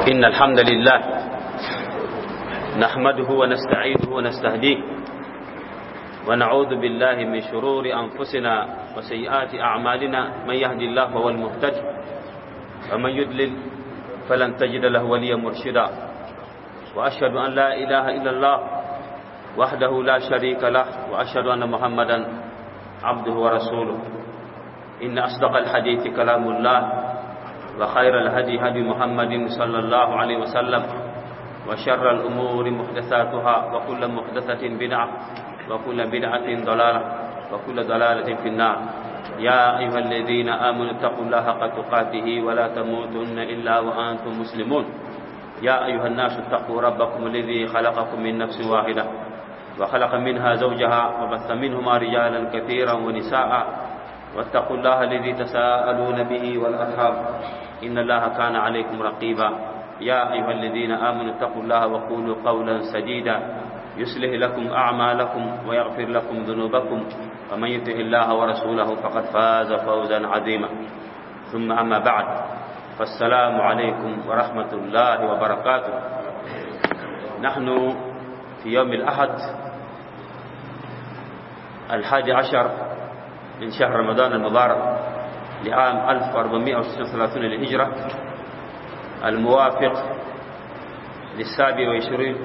إن الحمد لله نحمده ونستعينه ونستهديه ونعوذ بالله من شرور أنفسنا وسيئات أعمالنا. من يهدي الله فهو المهتد، ومن يضلل فلن تجد له وليا مرشدا. وأشهد أن لا إله إلا الله وحده لا شريك له، وأشهد أن محمدا عبده ورسوله. إن أصدق الحديث كلام الله، وخير الهدي هدي محمد صلى الله عليه وسلم، وشر الأمور محدثاتها، وكل محدثة بدعة، وكل بدعة ضلالة، وكل ضلالة في النار. يا أيها الذين آمنوا اتقوا الله حق تقاته ولا تموتن إلا وأنتم مسلمون. يا أيها الناس اتقوا ربكم الذي خلقكم من نفس واحدة، وخلق منها زوجها، وبث منهما رجالا كثيرا ونساء، واتقوا الله الذي تساءلون به والأرحام، إن الله كان عليكم رقيبا. يا أيها الذين آمنوا اتقوا الله وقولوا قولا سديدا، يصلح لكم أعمالكم ويغفر لكم ذنوبكم، ومن يطع الله ورسوله فقد فاز فوزا عظيما. ثم أما بعد، فالسلام عليكم ورحمة الله وبركاته. نحن في يوم الأحد 11 من شهر رمضان المبارك لعام 1436 للهجرة، الموافق ل27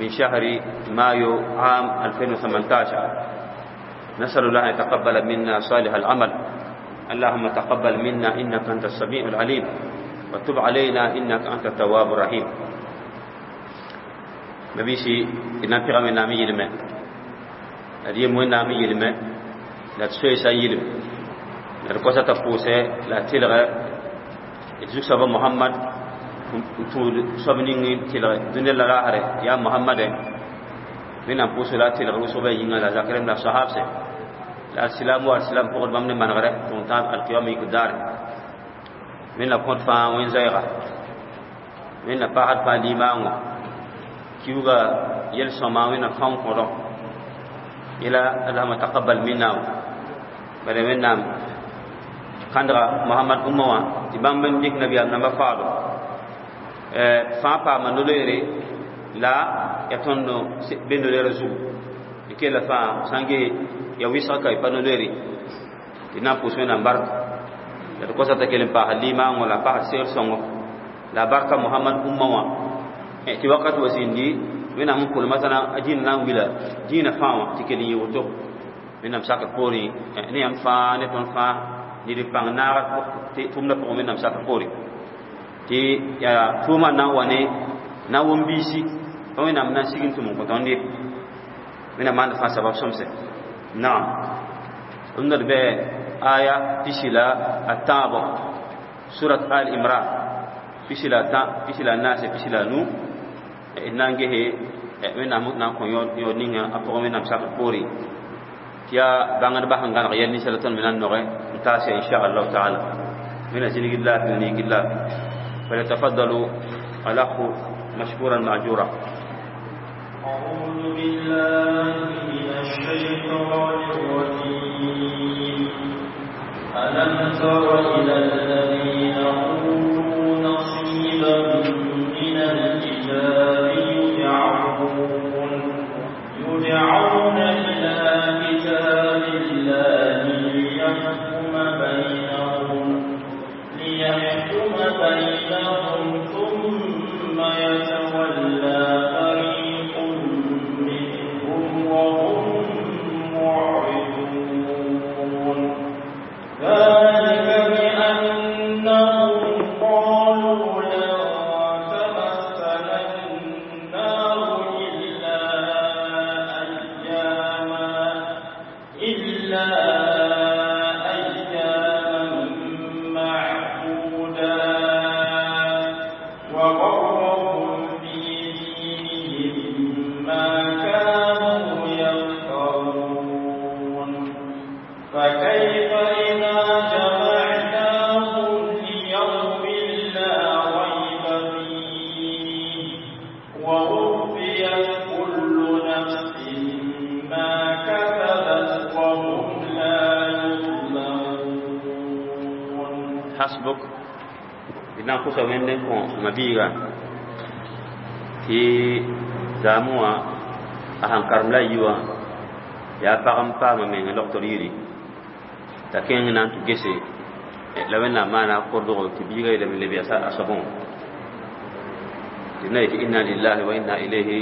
من شهر مايو عام 2018. نسأل الله أن يتقبل منا صالح العمل. اللهم تقبل منا إنك أنت السميع العليم، وتب علينا إنك أنت التواب الرحيم. مبيشي إن أنت من نامي يلمه أدي مو نامي يلمه لا تسوي سيلم لا تقص تفوسه لا تلغى يجوك سبب محمد سبنين تلغى دنيا لا هره يا محمد من أنفس لا تلغى وسبب ينعى لا ذكرهم لا صحاب سه لا السلام والسلام فقد بمن من غره تونتان القيام يقدار من لا كنت فان وين زيغة من لا بعد فالإيمان كيوغا يلسما وين فان قرا إلى اللهم تقبل منا بل منا كندرا محمد أموا تبان من ديك نبي أنا مفعله فان با منوليري لا يتونو بندولير زو كلا فان سانجي ya wisa kai panoleri ina pusu na barka ya ko sa ta kelen pa halima ngola pa sel songo la barka muhammad umma wa e ti wakat wasindi wena mun kul masana ajin na wila jina fawa ti kelen yoto wena saka pori ne am fa ne ton fa ni di pang na ti tumna ko wena saka pori ti ya tuma na wane na wombisi wena na sigin tumu ko tondi wena man fa sabab somse. نعم عندنا بآية تشلا التابع سورة آل عمران تشلا تا تشلا الناس تشلا نو إنانجه من أموت نكون يونينا أبغى من أمسك بوري يا بعند بحن كان غير نسلة من النور تاسع إن شاء الله تعالى من أجل الله من الله. فليتفضلوا الأخ مشكورا مأجورا. أعوذ بالله من الشيطان الرجيم. ألم تر إلى الذين أوتوا نصيبا من الكتاب يدعون إلى كتاب الله ليحكم بينهم ثم يتولى فريق منهم وهم معرضون. ذلك بأنهم Tɩ na n kosa wẽnd n kõ ma-biiga tɩ zaamẽ wã a sẽn karem la a yi wã yaa pag n paama meng logtr yiri t'a kẽng na n tɩ gese la wẽnnaam maana kordgo tɩ biiga yeelame leb yaa a soabẽ wã tɩ na yetɩ inna lillahi wa inna ilayhi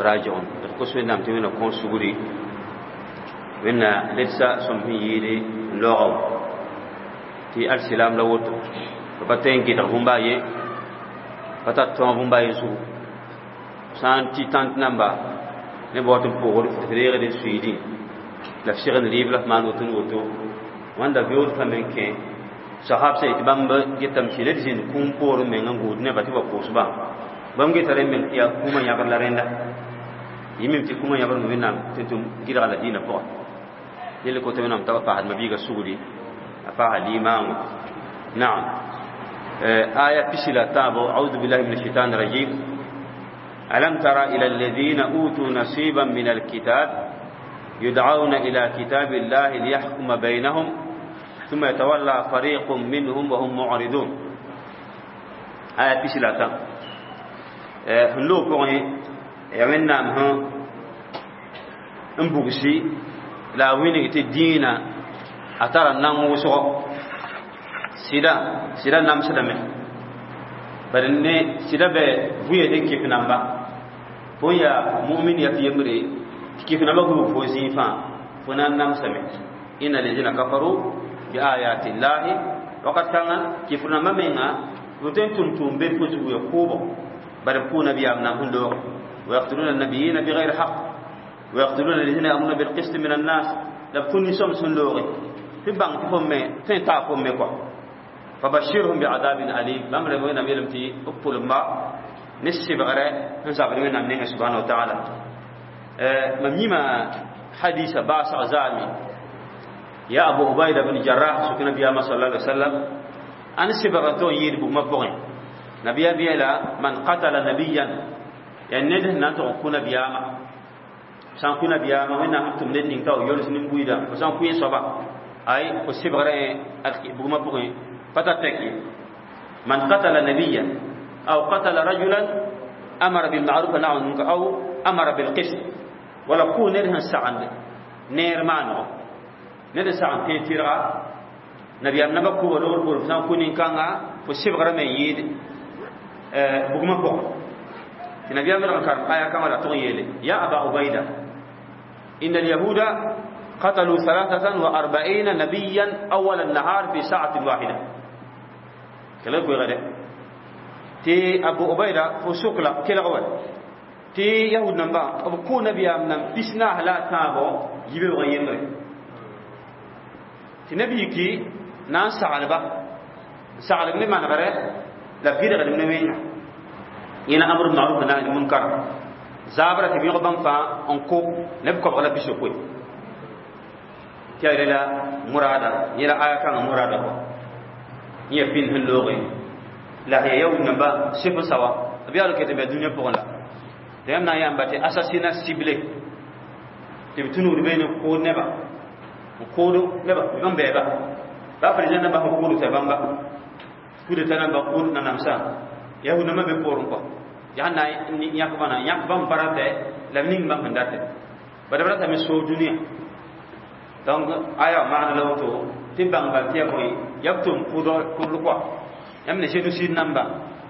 rajiun. D kos wẽnnaam tɩ wẽnna kõos sugri wẽnna ledsa sõm sẽn yɩɩde n laoog wã tɩ alsilam la woto pa tõe n gɩdg bũmba a ye pa tar tõog bũmba a ye zugu sã n tɩ tãnt namba ne ba wat n pʋgd tɩ reegd n suiidẽ la f segd rɩɩb la f maan woto n woto wãnda beood fãa me n kẽ sahab sã yetɩ bãmb getame tɩ ned zĩnd kũum poorẽ meng n gũud nebã tɩ wa pʋʋsbã bãmb geta rẽ meng tɩ yaa kũumã yãbr la rẽnda yɩ tɩ kũumã yãbr wẽnnaam tɩ tʋm gɩdga la dĩinã pʋga yel koto wẽnnaam t'a paasd ma-biigã sugri a paasa limaango naam. آية بسلا تابو. أعوذ بالله من الشيطان الرجيم. ألم تر إلى الذين أوتوا نصيبا من الكتاب يدعون إلى كتاب الله ليحكم بينهم ثم يتولى فريق منهم وهم معرضون. آية بسلا تابو هنلو بوغي يمنا مه n bugsi la a wilg tɩ dĩinã a tara nan wʋsgo sɩda sɩda namsdame bari ne sɩda bɛ vʋya ne kɩf namba fo n yaa mumin ya tɩ yembre tɩ kɩf namba gub fo zĩig fãa fo na n namsame inna lezina kafaru bi ayati llahi wakat kãngã kɩf namba menga fo tõe n tʋm tʋʋm be fo zugu ya kʋʋbo bari b kʋʋ nabiyaam nan sẽn loog ويقتلون النبيين بغير حق ويقتلون الذين يأمرون بالقسط من الناس la b kũ nin-sõm sẽn looge tɩ bãng tɩ fo me tõe n taa fo me kɔa فبشرهم بعذاب أليم. بام ري وينا ميلم تي أقول ما نسبغره نزابر وينا من سبحانه وتعالى. مميما حديث باس عزامي يا أبو عبيدة بن جراح سكن نبي صلى الله عليه وسلم أن سبغتو يد بما بغي نبي بيلا من قتل نبيا يعني نده نانتو كنا بياما سان كنا بياما وين أنتم ندين تاو يولس نمبويدا وسان كوين صبا أي وسبغره بما بغي فتتكي من قتل نبيا أو قتل رجلا أمر بالمعروف ونهى عن المنكر أو أمر بالقسط ولا كون نرهن سعن نير مانو نرهن سعن تيرا نبي أمنا بكو ولور بور فسان كونين كانغا فسيب غرام يد بغما بو نبي أمنا كان آية كما لا تغيلي يا أبا عبيدة إن اليهود قتلوا 43 نبيا أول النهار في ساعة واحدة. كلا كوي غدا تي أبو عبيدة فسوق لا كلا غوال تي يهود نمبا أبو كو نبي أمنا بسنا لا تابو يبي وغيمري تي نبي كي نان سعلبا سعلب لما نغره لا بيد غد من وين ينا أمر بالمعروف ونهي عن المنكر زابرة تبي غبان فا أنكو نبكو غلا بيسو كوي تي لا مرادا يلا آية كان مرادا كو يا بين هلوغي لا هي يوم نبا سيف سوا أبي أقول كتب الدنيا بقولا دائما نيام باتي أساسنا سيبلي تبتونو ربينو كود نبا كود نبا بيبان بيبا با فريزان نبا كود تبان با كود تنا با كود ننامسا يهو نما بيكورن كو يا نا ياكبانا ياكبان براته لمنين بان هنداته بدأ براته من سو دنيا donc aya maana la woto tɩ bãng bal tɩ ya bõe ya b tʋm kʋdl kɔa yãmb ne génocide namba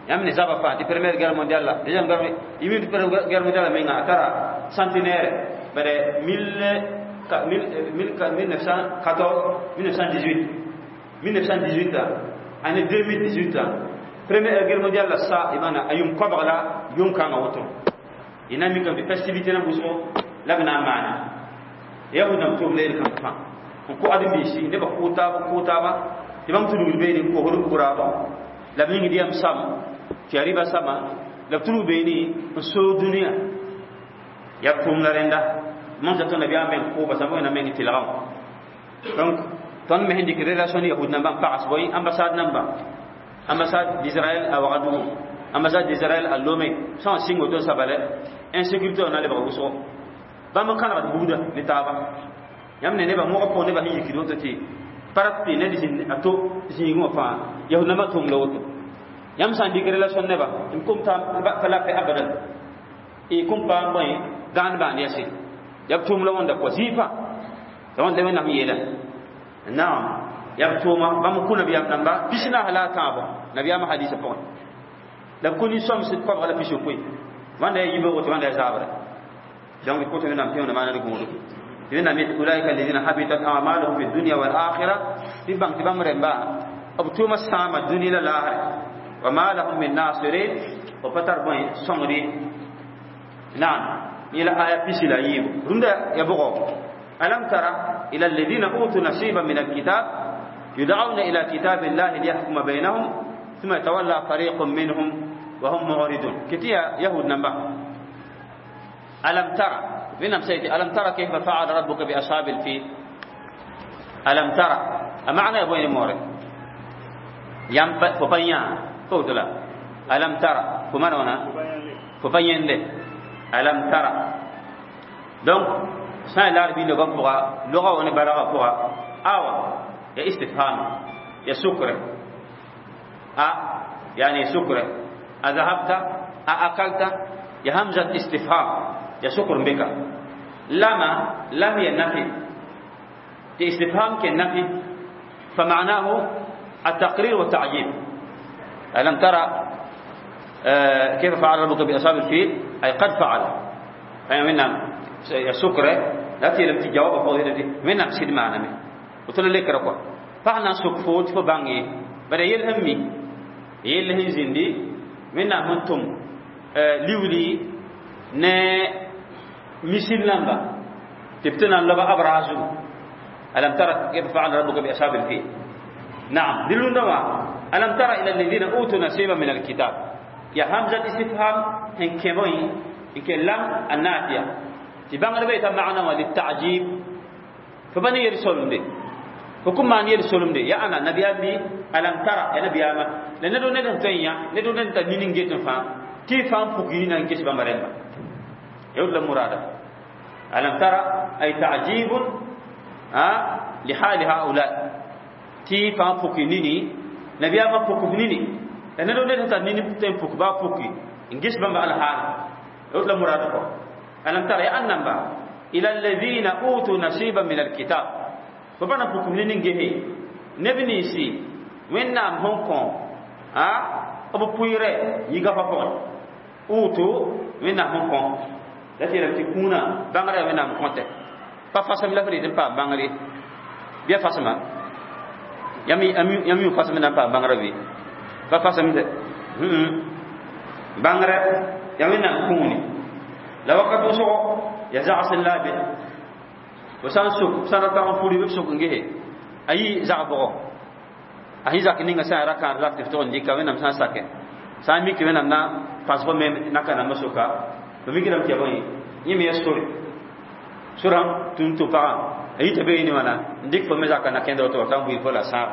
yãmb ne zaba fãa tɩ première guerre mondiale la deuxième guerre yɩ première guerre mondiale menga a tara centenaire bare 1914 1918 1918 année 2018 première guerre mondiale la sa imana a yʋm koabg la yʋm kãngã woto y na n mikame tɩ festivité na wʋsgo la b na n maana yahud nam tʋm la yel-kãng fãa n kʋ ãdem-biisi nebã kʋʋ taaba kʋʋ taaba tɩ bãmb tudgd beene n kosd bugraabã la b yĩngd yam sam tɩ yaa rɩba sama la b tudg beene n soog dũniyã yaa b tʋʋm la rẽnda mam sa tõnd nabiyaam meng kʋʋba sã wẽnnaam meng tɩlgã wã donc tõnd me sẽn dɩk relation ne yahud nambã n pags bõe ambassade namba ambassade d'Israël à Ouagadougou ambassade d'Israël à Lomé sã n sɩng woto n sabale insécurité wã na lebg wʋsgo bãmb n kãnegd buuda ne taaba yãmb ne nebã mogã pʋgẽ nebã sẽn yikd woto tɩ parat tɩ ned zĩnd a to zĩigẽ wã fãa yahud nambã tʋm la woto Yãmb sã n dɩk relation neba n kom t'a pa la pɛ abadan y kom paam bõe gãand bãand yɛse yaa b tʋʋm la wãnda kɔ zĩig fãa la wãnda wẽnnaam yeela naam yaa b tʋʋma bãmb kũ nabiyaam namba 44 la a tãabo nabiyaamã hadisa pʋgẽ la b kũ nin-sõms koabga la 60 wãnda yaa yibeoogo tɩ wãnda yaa zaabre donc pʋtẽ wẽnnaam tẽwda maana d gũudu tɩ wẽnnaam yet ulaika alladina habitat amaluhum fi dunya wal akhira tɩ bãng tɩ bãmb rẽmba b tʋʋma sãama dũni la laasre wa ma lahum min nasirin b pa tar bõe sõngd naam ila aya pisi la yiibu rũndã ya bʋgɔ alam tara ila alladina utu nasiban min alkitab yud'auna ila kitabi llahi liyahkuma bainahum thumma yatawalla fariqun minhum wa hum mu'ridun kiti ya yahud namba alam tara wẽnnaam sã yetɩ alam tara kayfa fa'ala rabbuka bi ashabil fil alam tara a maana ya bõe ne moore yãmb fo pa yã fo woto la alam tara fo maan wãna fo pa yẽnde alam tara donc sã n laar biindã goam pʋga loga wa ne balgã pʋga awa ya istifham ya sukre a yani sukre a zahabta a akalta ya hamzat istifham ya sukr beka lama lam ya nafi istifham ke nafi فمعناه التقرير والتعجيب ألم ترى كيف فعل ربك بأصحاب الفيل أي قد فعل أي من سكر لا تي لم تجاوب فوق من سيد معنا من وتقول لك ركوا فاحنا سك فوت فباني بدا يلهمي يلهم زندي من منتم liwli ne misil lamba tibtana laba abrazu alam tara kayfa fa'ala rabbuka bi ashabil fil نعم دلون دوا ألم ترى إلى الذين أوتوا نصيبا من الكتاب يا همزة استفهام إن كموي إن كلام النافية تبان ربيت معنا وللتعجيب فبني يرسلون دي فكم ما يرسلون دي يا أنا نبي أبي ألم ترى يا نبي أما لأن دون ندم تنيا ندون ندم نينجي فان كيف فان فوقينا نكش بمرنا يقول المراد ألم ترى أي تعجيب لحال هؤلاء ti fãa puki nini nabiyaamã puk nini la ned ned sẽn tar nini tõe n puk baa puki n ges bãmba alhaala yot la murad kɔ alam tara ya annamba ila alladhina utu nasiban min alkitab fo pa na puk nini n gese neb ninsi wẽnnaam sẽn kõ b pʋɩɩrɛ yiga-fa pʋgẽ utu wẽnnaam sẽn kõ la tɩ yeelame tɩ kũunã bãngrã yaa wẽnnaam kõtɛ pa fasem la f rɩɩd n paam bãngre bɩa fasema yãmb yũ fasem na n paam bãngrã bɩ pa fasem dɛ bãngrã yaa wẽnnaam kũuni la wakat wʋsgo ya zags n la a be fo sã n suk sã n ra tag n puri b suk n gese a yi zag-bʋgɔ a sẽn zak ninga sã n ya ra-kãad lak tɩ f tʋg n dɩka wẽnnaam sã n sake sã n mik wẽnnaam na pãs fo me naka nambã soka fo mikdame tɩ ya bõe yẽ me ya sore sorã tũn tʋ pagã a yita be ne wãna n dɩk fo me zaka na kẽnd woto t'a n buɩ fo la sãab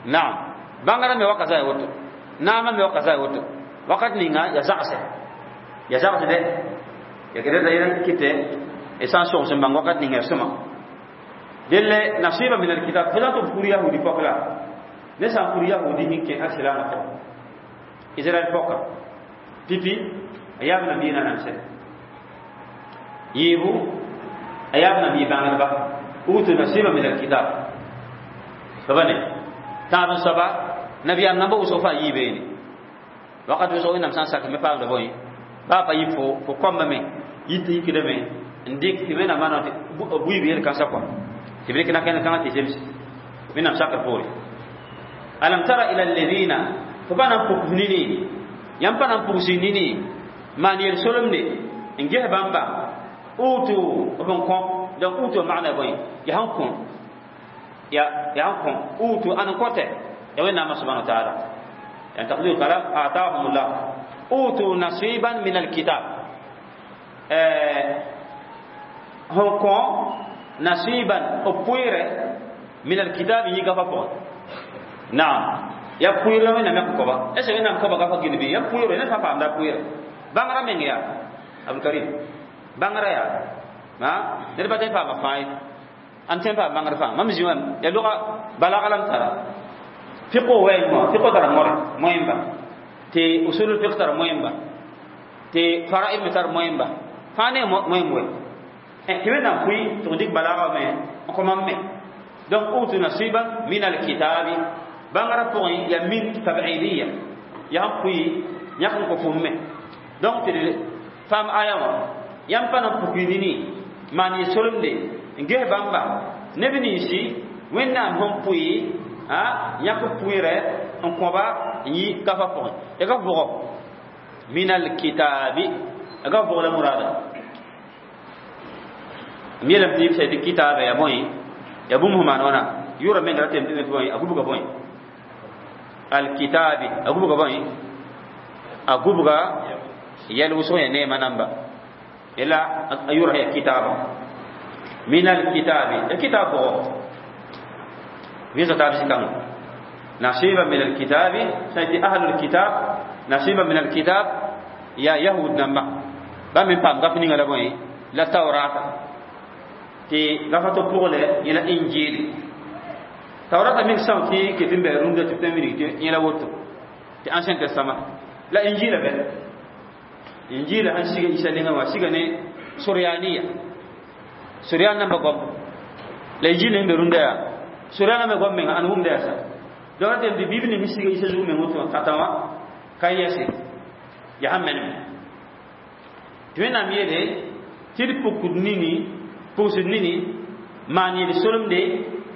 naam bãngrã me waka zã woto naamã me waka zã woto wakat ninga ya zagsɛ ya zagsdɛ ya kɩ reta yɛl kɩtɛ y sã n sogs n bãng wakat ninga ya sõma delle nasiba min alkitab fo sã n tɩ b kur yahudi pɔk la ne sã n kur yahudi sẽn kẽ asilaamã pʋgẽ israɛl pɔka pipi a yaab nabiya na namsɛ yiibu a yaab nabi bãngdba utu nasiba min alkitab soaba ne tãab n soaba nabiyaam namba wʋsg fãa yii beene wakat wʋsg wẽnnaam sã n sak me paamda bõe baa pa yɩ fo kõmbame yit tɩ yikdame n dɩk tɩ wẽnnaam maana tɩ buiib yel-kãnsã kɔa tɩ b rɩk na-kẽnd kãngã tɩ zems wẽnnaam sakr poore alam tara ila alladina fo pa na n puk nini yãmb pa na n pugs nini maan yel-solemde n ges bãmba utu b n kõ donc utu maana bõe ya sẽn kõ ya ya sẽn kõ utu ãn n kõtɛ ya wẽnnaamã subhana wa taala yani taqdir kalam atahum llah utu nasiban min alkitab sẽn kõ nasiban b pʋɩɩrɛ min alkitab yĩga fa pʋgẽ naam ya pʋɩɩrɛ wẽnnaam ya kõba est ce wẽnnaam kõba gafa gil bɩ ya pʋɩɩrɛ ned fãa paamda pʋɩɩrɛ bãngrã meng yaa abdulkarim bãngrã yaa ned pa tõe n paama fãa ye ãn tõe n paam bãngr fãa mam zĩ wã ya loga balga la m tara fiqo wɛɛngã fiqo tara more moẽmba Tɩ usulul fiqh tar moẽmba, tɩ fara'id me tar moẽmba, fãa ne moẽmb we tɩ wẽnnaam pʋɩ tɩ f dɩk balaaga me n kõ mam me. Donc utu nasiban min alkitabi bãngrã pʋgẽ ya min tabidiya yaa n pʋɩ yãk n kõ fʋm me. Donc tɩ d faam aya wã yãmb pa na n pukɩ nini maan yɩ solemde n ges bãmba neb ninsi wẽnnaam sẽn pʋɩ yãk pʋɩrɛ n kõba n yi gafa pʋgẽ. Ya gaf bʋgɔ min alkitabi, ya gaf bʋg la murada m yeelame tɩ yɩb tɩ kitaaba ya bõe ya bũmb sẽn maan wãna yʋra menga ratame tɩ bõe a gubga bõe alkitabi a gubga bõe a gubga yɛl wʋsg ya neema namba yela a yʋra ya kitaaba min alkitabi ya kitab bʋgɔ vɩɩsg taab sɩkãngã nasiba min alkitabi sã tɩ ahlul kitab nasiba min alkitab ya yahud namba bãmb me paam gaf ninga la bõe la taurata tɩ gafa to pʋglɛ yẽla injil taurata meng são tɩ ket n bɩ rũndã tɩ b tõe n wilg tɩ yẽla woto tɩ ancien testament la injila bɛ injila sẽn siga Isa nengã wã siga ne suryaniya suryan namba goam la injil ning be rũndã yaa suryan namba goam menga ãn wʋmda yaa sa. Donc ratame tɩ bib ning sẽn siga Isa zug meng woto wã kata wã ka yɛse yaa sẽn menem tɩ wẽnnaam yeele tɩ d pukd nini pʋgsd nini maan yel solemde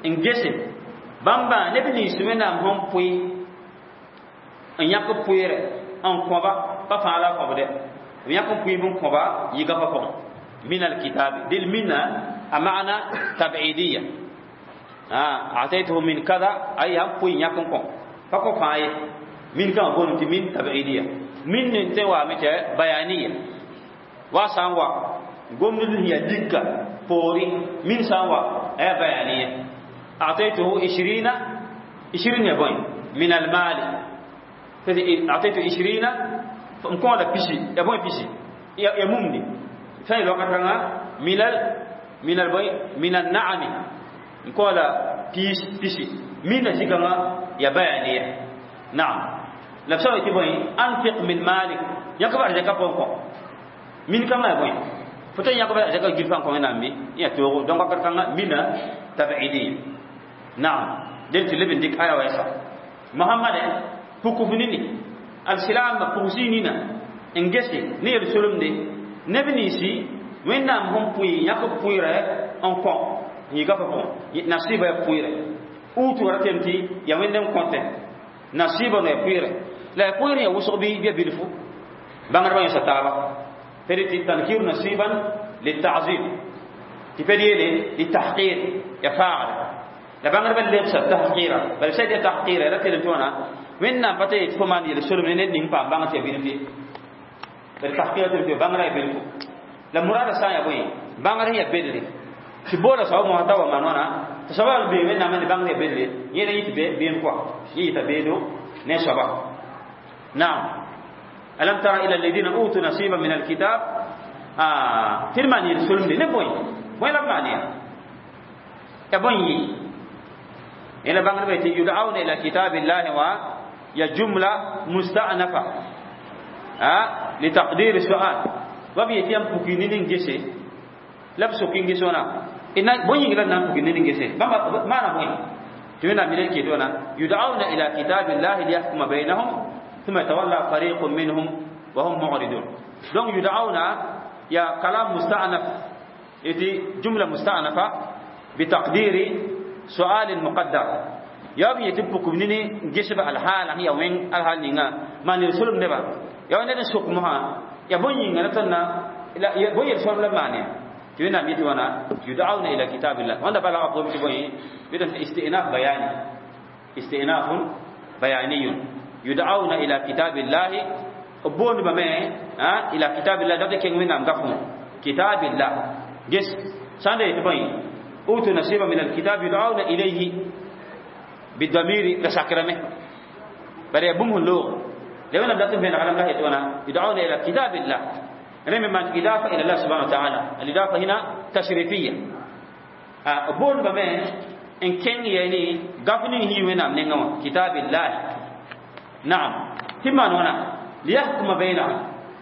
n gese bãmba neb nins wẽnnaam sẽn pʋɩ n yãk pʋɩɛrɛ n kõba pa fãa la a kõbdɛ b yãk n pʋɩ n kõba yɩ gafã pʋgẽ min alkitabi del minna a maana tabidiya ataytuhu min kada ay sãn pʋɩ yãk n kõ pa kõ fãa ye min kãngã booname tɩ min tabidiya min nin tõe n waame tɩ bayaniya wa sã n wa gomd sẽn yaa dika poori min sã n wa aya bayaniya أعطيته 20 20 يا بوي من المال أعطيته 20 مكون لا بيشي يا بوي بيشي يا ممني ثاني الوقت من البوي من النعم مكون لا بيش بيشي من شيكما يا بيانية. نعم لبسوا يتبوي أنفق من مالك يكبر زكاة بونكو من كما يا بوي فتن يكبر زكاة جلفان كون نامي يا توغو دونك كركنا من تبعيدية. نعم دلت لبن ديك آية ويسا محمد فكفنيني السلام فوزينينا انجسي نير سلم دي نبنيسي وين نام هم بوي ياكو بوي رأي انكو يغا فكو نصيبا بوي رأي اوتو رتمتي يا وين نم كونت نصيبا نيا بوي رأي لا بوي رأي وسق بي بي بيلفو بانغر بان يستابا فريتي تنكير نصيبا للتعظيم تفدي للتحقير يا فاعل la bãngr ba lebsa tahqira bala sã tɩ tahqira ra tɩ tõona wẽnnaam pa tɩ fo maan yel solem ne ned ning paam bãng tɩ ya bilf ye bala tahqira tɩ bãngrã ya bilfu la murada sã n yaa bõe bãngr sẽn ya bedre tɩ boola soab mosã t'a wa maan wãna tɩ soaba bee wẽnnaam ne bãngr ya bedre yẽla yɩ tɩ beem kɔa yẽ yɩta beedo ne soaba. Naam alam tara ila alladhina utu nasiban min alkitab tɩ d maan yel solemde ne bõe bõe la b maan ya ya bõe yɩ إلى بانغ بيت يدعون إلى كتاب الله و يا جملة مستأنفة لتقدير السؤال وبي يتيم بوكينين جيسي لبسو كين جيسونا إن بوين لنا بوكينين جيسي ما ما نبوين تمنا من الكتونا يدعون إلى كتاب الله ليحكم بينهم ثم يتولى فريق منهم وهم معرضون. دون يدعون يا كلام مستأنف يتي جملة مستأنفة بتقدير سؤال مقدر يا بي يتبك مني جسب الحال هي وين الحال نينا ما نرسلم نبا يا وين نسوق مها يا بني نتنا لا يا بني يرسلم لما معني تبينا ميت وانا يدعون إلى كتاب الله وانا بلا أقوم تبني بدون استئناف بياني استئناف بياني يدعون إلى كتاب الله بون بما ها إلى كتاب الله ده كين وين أم قفهم كتاب الله جس سند تبني أوتوا نصيبا من الكتاب يدعون إليه بالضمير لسكرمه بل يبوم اللغة لو أنا بدأت بين علم الله يدعون إلى كتاب الله رمي من إضافة إلى الله سبحانه وتعالى الإضافة هنا تشريفية بون بما إن كان يعني قفني هي وين أم نعم كتاب الله. نعم ثم هنا Liyahkuma bainahum,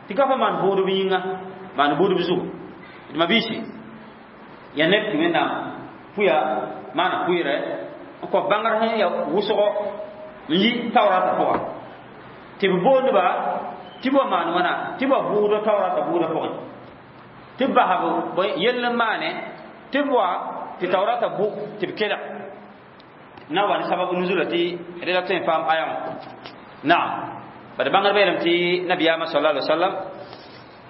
tɩ ka fa maan bʋʋdb yĩnga, maan bʋʋdb zugu. D mabiisi, ya neb tɩ Wẽnnaam pʋya maana pʋɩɩrɛ n kõ bãngr sẽn ya wʋsgo n yi taoorata pʋga, tɩ b boondba tɩ b wa maan wãna, tɩ b wa bʋʋda taoorata bʋʋda pʋgẽ, tɩ b basb yell n maane, tɩ b wa tɩ taoorata bʋ tɩ b kelg na wa ne sabab nuzula tɩ rela tõe n paam aya wã. Naam, bad bãngr beelame tɩ nabiyaamã sallallahu alaihi wasallam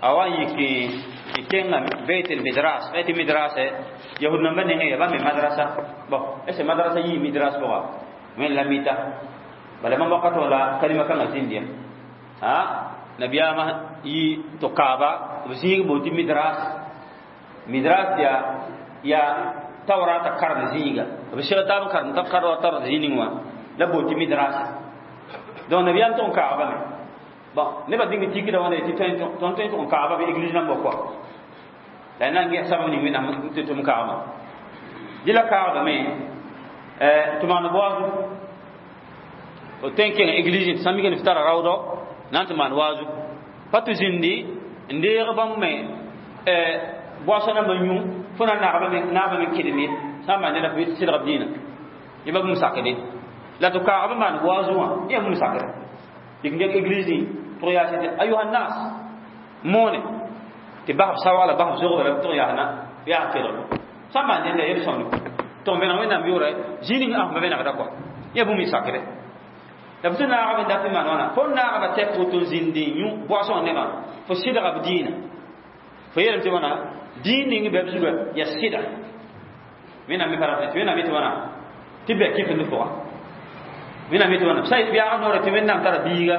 a wa n yik n kẽnga beit el midras, beit midras yahud nambã nengẽ ya bãmb me madrasa. Bon, est ce madrasa yii midras pʋga? Wẽn la mita bala bãmb wakat wã la kalima kãngã zĩnd ya a nabiyaamã yi tɩ kaaba b zĩig boon tɩ midras. Midras ya taorata karem zĩiga, b seg taab n karem t'a kar wa taorat zĩig ning wã la boon tɩ midras. Donc nabiyaam tʋg n kaagba me. Bon, nebã dĩng tikda wãna tɩ tõnd tõe n tʋg n kaagba bɩ église nambã kɔa la na n ges sabab ning Wẽnnaam tɩ tʋm kaagma dɩ la kaagdame tɩ maan waazu f tõe n kẽng église tɩ sã n mik f tara raoodɔ na n tɩ maan waazu pa tɩ zĩndi n deeg bãmb me boasã nambã yũ fo na naagba me kelem ye sã n maan neda f sɩdg b dĩinã yẽ ba bũmb sakde la tɩ kaagb maan waazu wã yẽ bũmb sakre dɩk n geng église tʋg yaas tɩ ayuha nas moone tɩ basb sawagla basb zogb la tʋg yaasna yaa kelg sã n maan nenda yel sõmd tʋg n vẽneg Wẽnnaam yʋʋrɛ zĩig ning ãsma vẽnegda kɔa yẽ bũmb y sakre la b tɩ naagb n dat n maan wãna fo naagba tɛk woto n zĩndi yũ boasõ nebã fo sɩdga b dĩinã fo yeelame tɩ wãna dĩin ning bɛ b zuga ya sɩda Wẽnnaam me pa rat tɩ Wẽnnaam yetɩ wãna tɩ bɛ kɩf ne pʋga. Wẽnnaam yetɩ wãna sa yaag noorã tɩ Wẽnnaam tara biiga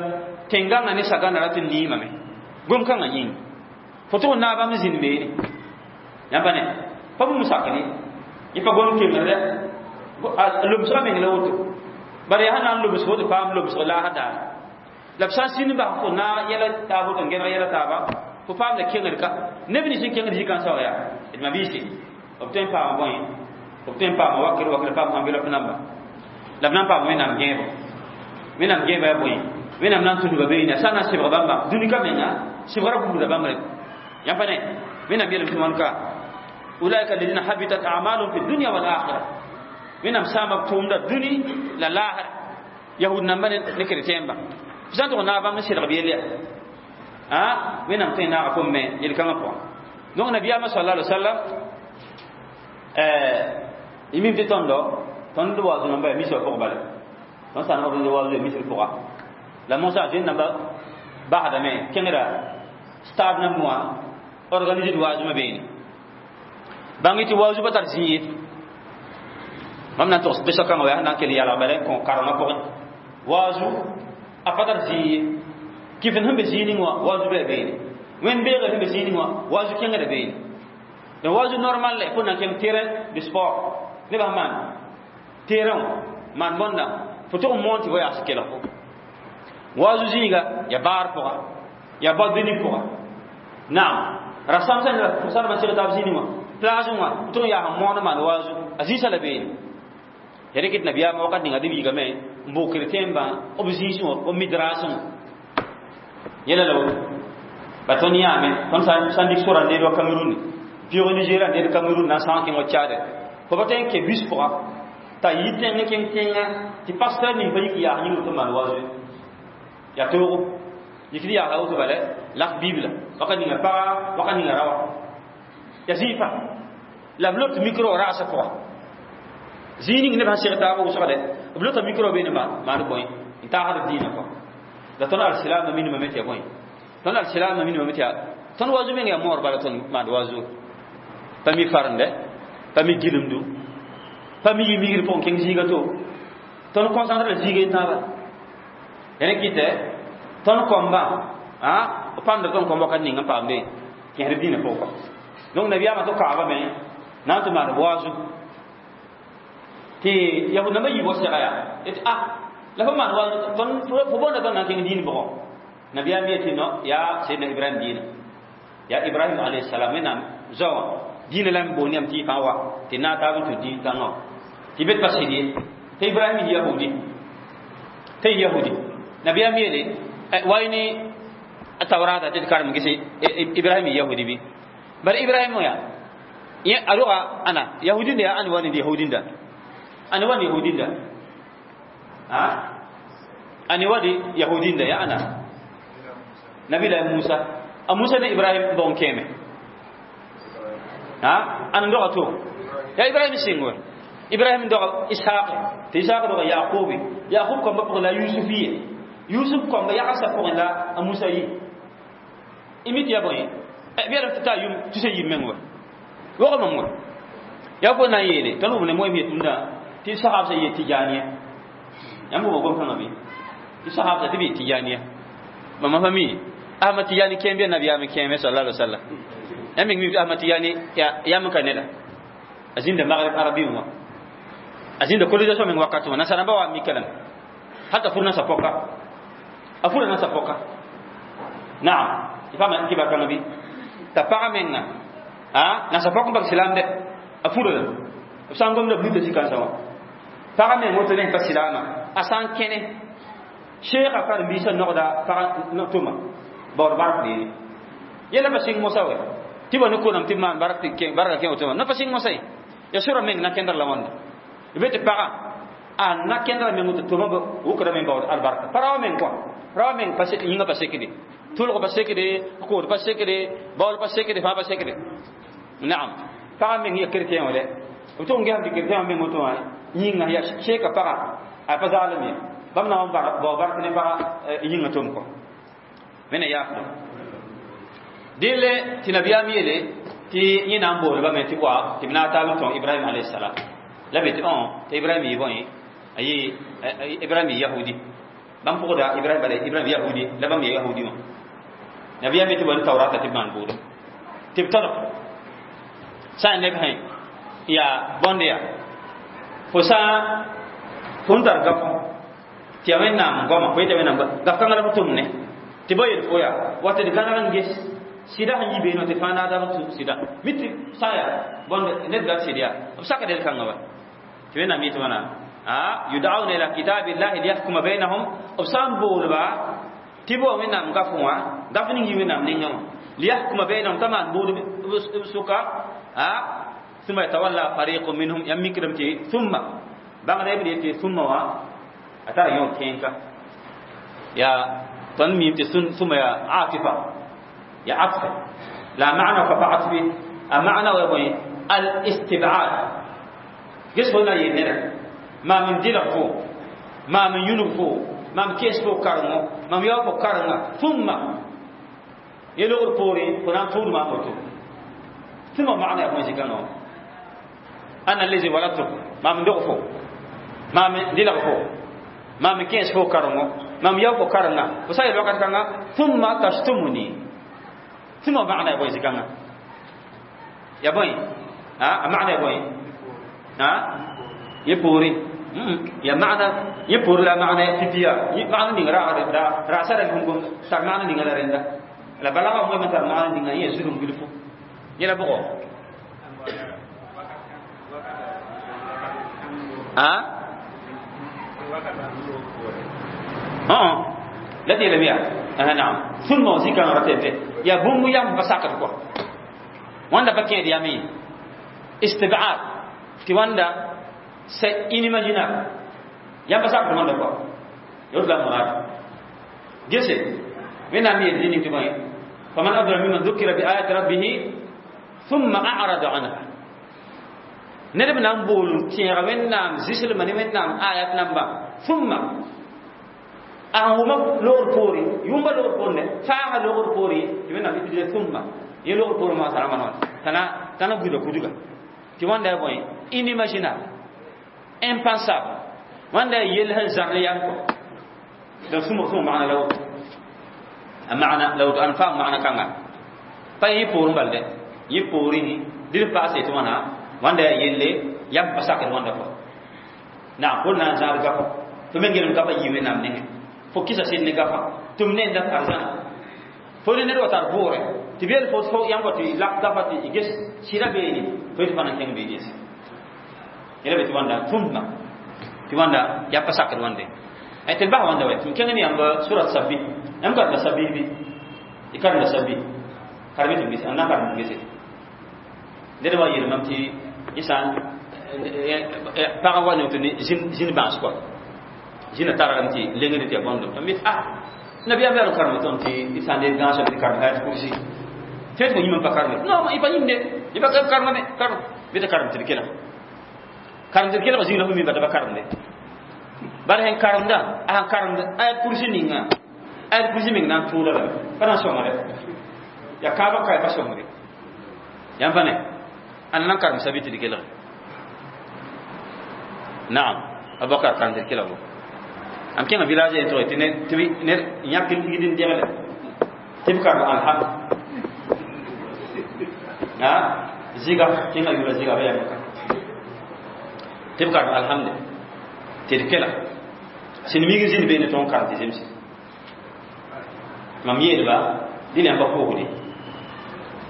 tẽn-gãngã ne sagãna rat n niimame gom-kãngã yĩng fo tʋg n naag bãmb zĩnd beene yãmba ne pa bũmb sakre yẽ pa gom kemre lomsga meng la woto bara yaa sã na n lobsg woto paam lobsg laasã daar la b sã n sĩnd bas fo naag yɛla taab woto n gẽneg yɛla taaba fo paam la kengd ka neb nins n kengd zĩ-kãnsã wã yaa d mabiisi b tõe n paama bõe b tõe n paama wakr wakr paam enveloppe namba la b na n paama Wẽnnaam gẽebo. Wẽnnaam gẽeba yaa bõe? Wẽnnaam na n tudga beene sã n na n sɩbg bãmba dũni ka menga sɩbgra buudã bãmb re yãmb pa ne Wẽnnaam yeelame tɩ wãn ka ulaika alladina habitat a'maluhum fi dunya wal akhirah. Wẽnnaam sãama b tʋʋmda dũni la laasra yahud namba ne chrétien ba f sã n tʋg naag bãmb n sɩdg b yell yaa a Wẽnnaam tõe n naaga fo me yel-kãngã pʋgã. Donc nabiyaamã sallallahu alaihi wasallam y mim tɩ tõndo tõnd waazu namba ya misã pʋg bala tõnd sã n organise waazu ya misr pʋga la mosã zoe namba basdame kẽngda stade nambẽ wã organise waazumã beene bãng tɩ waazu pa tar zĩ ye mam na n togs qisa kãngã wa na n kell yalg bala n kõ karengã pʋgẽ waazu a pa tar zĩ ye kɩf sẽn be zĩig ning wã waazu bɩ a beene wẽnd beegr sẽn be zĩig ning wã waazu kẽngda beene. Donc waazu normal la fo na n kẽng terrain de sport nebã sẽn maan terrain wã maan bõnda fo tʋg n moon tɩ fo yaas kelg fo waazu zĩiga ya baar pʋga ya boîte de nuit pʋga. Naam, rasam sã sãdbã seg taab zĩig wã plage wã tʋg n yaas n moon n maan waazu a zĩisã la beene ya rɩk tɩ nabiyaamã wakat ninga deb yiigame n bʋʋg chrétien bã b zĩisẽ wã b midrasẽ wã yɛla la woto ba tõnd yãame tõnd sã n dɩk sora n deed wa Cameroun pɩʋg Nigéria n deed Cameroun na n sãag kẽng wa Tchad fo pa tõe n ke bus pʋga t'a yi tẽng n kẽng tẽnga tɩ pasteur ning pa yik yaas yĩng tɩ maan waazu yaa toogo yik tɩ yaasa woto bala lak bibla wakat ninga paga wakat ninga rawa ya zĩig pa la b lot micro rasã pʋga zĩig ning neb sã seg taab wʋsgde b lota micro beene maan bõe n taasd b dĩinã kɔ la tõnd alsilaamã minimame tɩ ya bõe tõnd alsilaamã minimame tɩ yaa tõnd waazu meng yaa moor bala tõnd maand waazu pa mi farende pa mi gilemdu pa mi yi migr pʋgẽ kẽng zĩiga to tõnd concentre la zĩiga tãaba ya ne kɩtɛ tõnd kõmba b pamda tõnd kõm wakat ning n paamde kẽsd dĩinã pʋgẽ kɔ. Donc nabiyaamã tɩ kaabame na n tɩ maan waazu tɩ yahud nambã yiib wa sega yaa tɩ ah la fo maan waazu fo boonda tõnd na n kẽng dĩin bʋgɔ nabiyaam yetɩ no yaa Seydna Ibrahim dĩinã yaa Ibrahim alayhi salam Wẽnnaam zoa wã dĩinã la n boond yãmb tɩ y fãa wa tɩ naag taab n tũ dĩin kãngã wã tɩ bet pa sɩd ye tɩ Ibrahim yahudi tɩ yahudi nabiyaam yeele wa ne Tawrata tɩ d karem gese Ibrahim yahudi bi bar Ibrahim ya yẽ a roga ãna yahudinda yaa ãn wa ne yahudinda ãn wa ne yahudinda a ãn wa de yahudinda yaa ãna nabila Musa a Musa ne Ibrahim bõn kẽeme a ãn doga to ya Ibrahim sɩng wɛ Ibrahim doga Ishaq tɩ Ishaq doga Yaqubi Yaqub kamba pʋgẽ la Yusufiye Yusuf kamba yagsã pʋgẽ la a Musa yi imit ya bõe b yɛlm tɩ taa yʋm tusa yib meng wa wog mam wa ya fo na n yeele tõnd wʋm ne moem yetũndã tɩ sahabsã yee tɩjaaniya yãmb wʋma gom-kãngã bɩ tɩ sahabsã tɩ b yee tɩjaaniya mama fa mi Ahmad Tijani kẽem bɩ nabiyaam kẽeme sallallahu alaihi wasallam yãmb meng mi tɩ Ahmad Tijani yam ka neda a zĩnda Maghrib arabi wã a zĩnda colonisation meng wakat wã nasarãmba wa mika lame hata fur nasa pɔka a fura nasa pɔka naam tɩ paama kibar kãngã bɩ t'a pagã menga a nasa pɔk n bag silaam dɛ a fura la b sã n gomda b luta zĩ-kãensã wã pagã meng woto ne pa silaamã a sã n kẽne sheekã karen-biisã nogda pagã tʋma baood bark deere yɛla pa sɩng mosã wɛ tɩ ba ne konam tɩ b maan bark tɩ barka kẽ woto wã na pa sɩng mosã ye ya sora meng na kẽndr la wãnda b tɩ pagã a na kẽndra meng woto tʋma wʋkda meng baood albarka pa rao meng kɔa rao meng yĩngã pa sekde tʋlg pa sekde kood pa sekde baool pa sekde fãa pa sekde naam pagã meng ya chrétien wã dɛ b tʋg n gesam tɩ chrétien wã meng woto wã yĩnga ya sheeka pagã a pa zaalem ye bãmb na n bao bark ne pagã yĩngã tʋm kɔ wẽnna yaafdo dẽle tɩ nabiyaam yeele tɩ yẽ na n boolbame tɩ wa tɩ b na n taab n tõg Ibrahim alayhisalam la be tɩ tɩ Ibrahim yɩ bõe a yɩ Ibrahim yɩ yahudi bãmb pʋgda Ibrahim bala Ibrahim yahudi la bãmb ya yahudi wã nabiyaam ye tɩ ba ne taurata tɩ b maan bʋʋdo tɩ b tɔdg sã n neb sẽ yaa bõnd yaa fo sã fo n tar gafõ tɩ ya Wẽnnaam goama fo yeta Wẽnnaam gaf-kãngã la fo tʋm ne tɩ ba yel fo yaa wa tɩ d gãneg n ges sɩda sẽn yi beene tɩ fãa naadab tʋ sɩda mi tɩ sã n yaa bõnd ned gat sɩd yaa b sakd el kãngã wa tɩ Wẽnnaam yetɩ wãna a yud'auna ila kitabillahi liyahkuma bainahum b sã n boolba tɩ b wa Wẽnnaam gafẽ wã gaf ning yɩ Wẽnnaam nengã wã liyahkuma bainahum t'a maan buud b sʋka a thumma yatawalla fariqun minhum yãmb mikdame tɩ thumma bãngda b yetɩ thumma wã a tara yõ kẽenka yaa tõnd miime tɩ thumma yaa atifa ya atfa la maana ka pa atfi a maana wa bõe al istibad ges fo na yel neda maam n dɩlg fo maam n yũnug fo maam kees fo karengo maam yao fo karenga thumma ye logr poore fo na n tʋʋd maam woto thumma maana ya bõe zikãngã wã ana allazi waladtuk maam n dog fo maam n dɩlg fo maam n kẽes fo karengo maam yao fo karenga fo sã n yel wakat kãnga thumma tashtumuni thumma maana ya bõe zikãngã ya bõe a maana ya bõe a ye poore ya maana ye poore la maana pipiya maana ning raagd raasa ra gom tar maana ninga la rẽnda la balaga moe tar maana ninga yẽ zulum bilfu yẽla bʋgɔ a la tɩ yeelame yaa naam thumma wã zikãngã ra tɩ yaa bũmb yam pa sakd kɔ wãnda pa kẽed yam ye istibad tɩ wãnda c'est inimaginable yam pa sakd wãnda kɔ yot la murad gese Wẽnnaam yeel zĩ ning tɩ bõe faman adlam mimman dhukira bi ayati rabbihi thumma a'rada anha ned b na n bool n tẽega Wẽnnaam zɩslmã ne Wẽnnaam ayat namba thumma a sẽn wʋma loogr poore yʋmba loogr poore ne faaga loogr poore tɩ Wẽnnaam utiliser thumma ye loogr poore maasã rãmbã t'a na buda kudga tɩ wãnda ya bõe inimaginable impensable wãnda ya yell sẽn zãr ne yam kɔ donc sũma maana la woto a maana la woto ãn faam maana kãnga pa yẽ poorẽ bal dɛ yẽ poorẽ dɩl paase tɩ wãna wãnda ya yelle yam pa sakd wãnda kɔ naam fo na n zãad gafã fo me gelem gafa yɩ Wẽnnaam nengẽ fo kɩsa sɩd ne gafa tɩ m ne n dat arzãna fo ne ned wa tar bʋʋrɛ tɩ b yel fo fo yãmb wa tɩ lak gafa tɩ ges sɩda beene fo yetɩ fã na n kẽng beene yɛse yẽla be tɩ wãnda thumma tɩ wãnda yaa pa sakd wãnde tɩ d bas wãnda wɛ tɩ m kẽng ne yãmb surat sabi yãmb karenda sabi bɩ Ikarna sabi karmi tɩ ges a na karem gese ned wa yeel mam tɩ sã pagã wa ne tɩ zĩn bãas kɔa zĩnã targame tɩ lengd tɩ ya bõndem tɩ mi ah nabiyaam yaa karem tõnd tɩ d sã n dee gãasã tɩ karem ayat kursi tɩ tɩ yĩm n pa kareme non y pa yĩmde y pa karemame karem bɩ tɩ karem tɩ d kelg karem tɩ d kelg zĩig la fo mi bata pa karemde bala sẽn karemda a sẽn karemd ayat kursi ninga ayat kursi meng na n tʋʋla lame pa na n sõngre ya kaaba kae pa sõngre yãmb pa ne ãnda na n karem sabi tɩ d kelge naam Abubakar karem tɩ d kelg bo am kẽngã village yen tʋg tɩ ned yãk n tigd n degle tɩ b karem alhamd a zɩga kẽngã yʋʋra zɩga ba yãmb tɩ b karem alhamd tɩ d kelg sẽn mig n zĩnd beene tõog n karem tɩ zemse mam yeelba dẽn yãmb pa pʋʋsde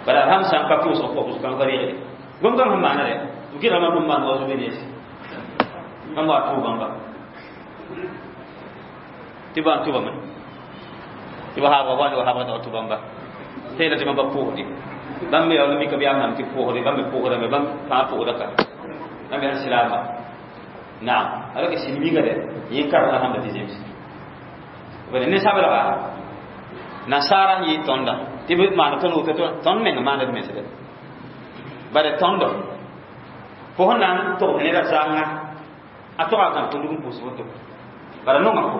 bala alhamd sã n pa pʋʋsg pʋʋsg kãng pa reegde gom-gãng sẽn maana rɛ b gɩrgame bũmb maan wa zobe neese mam wa tʋʋbãmba tɩ ba n tʋbame tɩ ba haabga wa ne wa haabga t'a tʋbãmba tɩ tɩ mam pa pʋʋsde bãmb me yaool mika bɩ yaa mam tɩ pʋʋsde bãmb me pʋʋsdame bãmb fãa pʋʋsda ka bãmb yaa silaama naam alors que sẽn miga dɛ yẽ karem alhamda tɩ zemse bala ne sabelga nasara yɩ tõnda tɩ b maan tõnd woto tõnd meng maanda d mensdɛ bala tõndo fo sẽn na n togd neda zãnga a toga gãb tõndg n pʋʋs woto bala nonga fo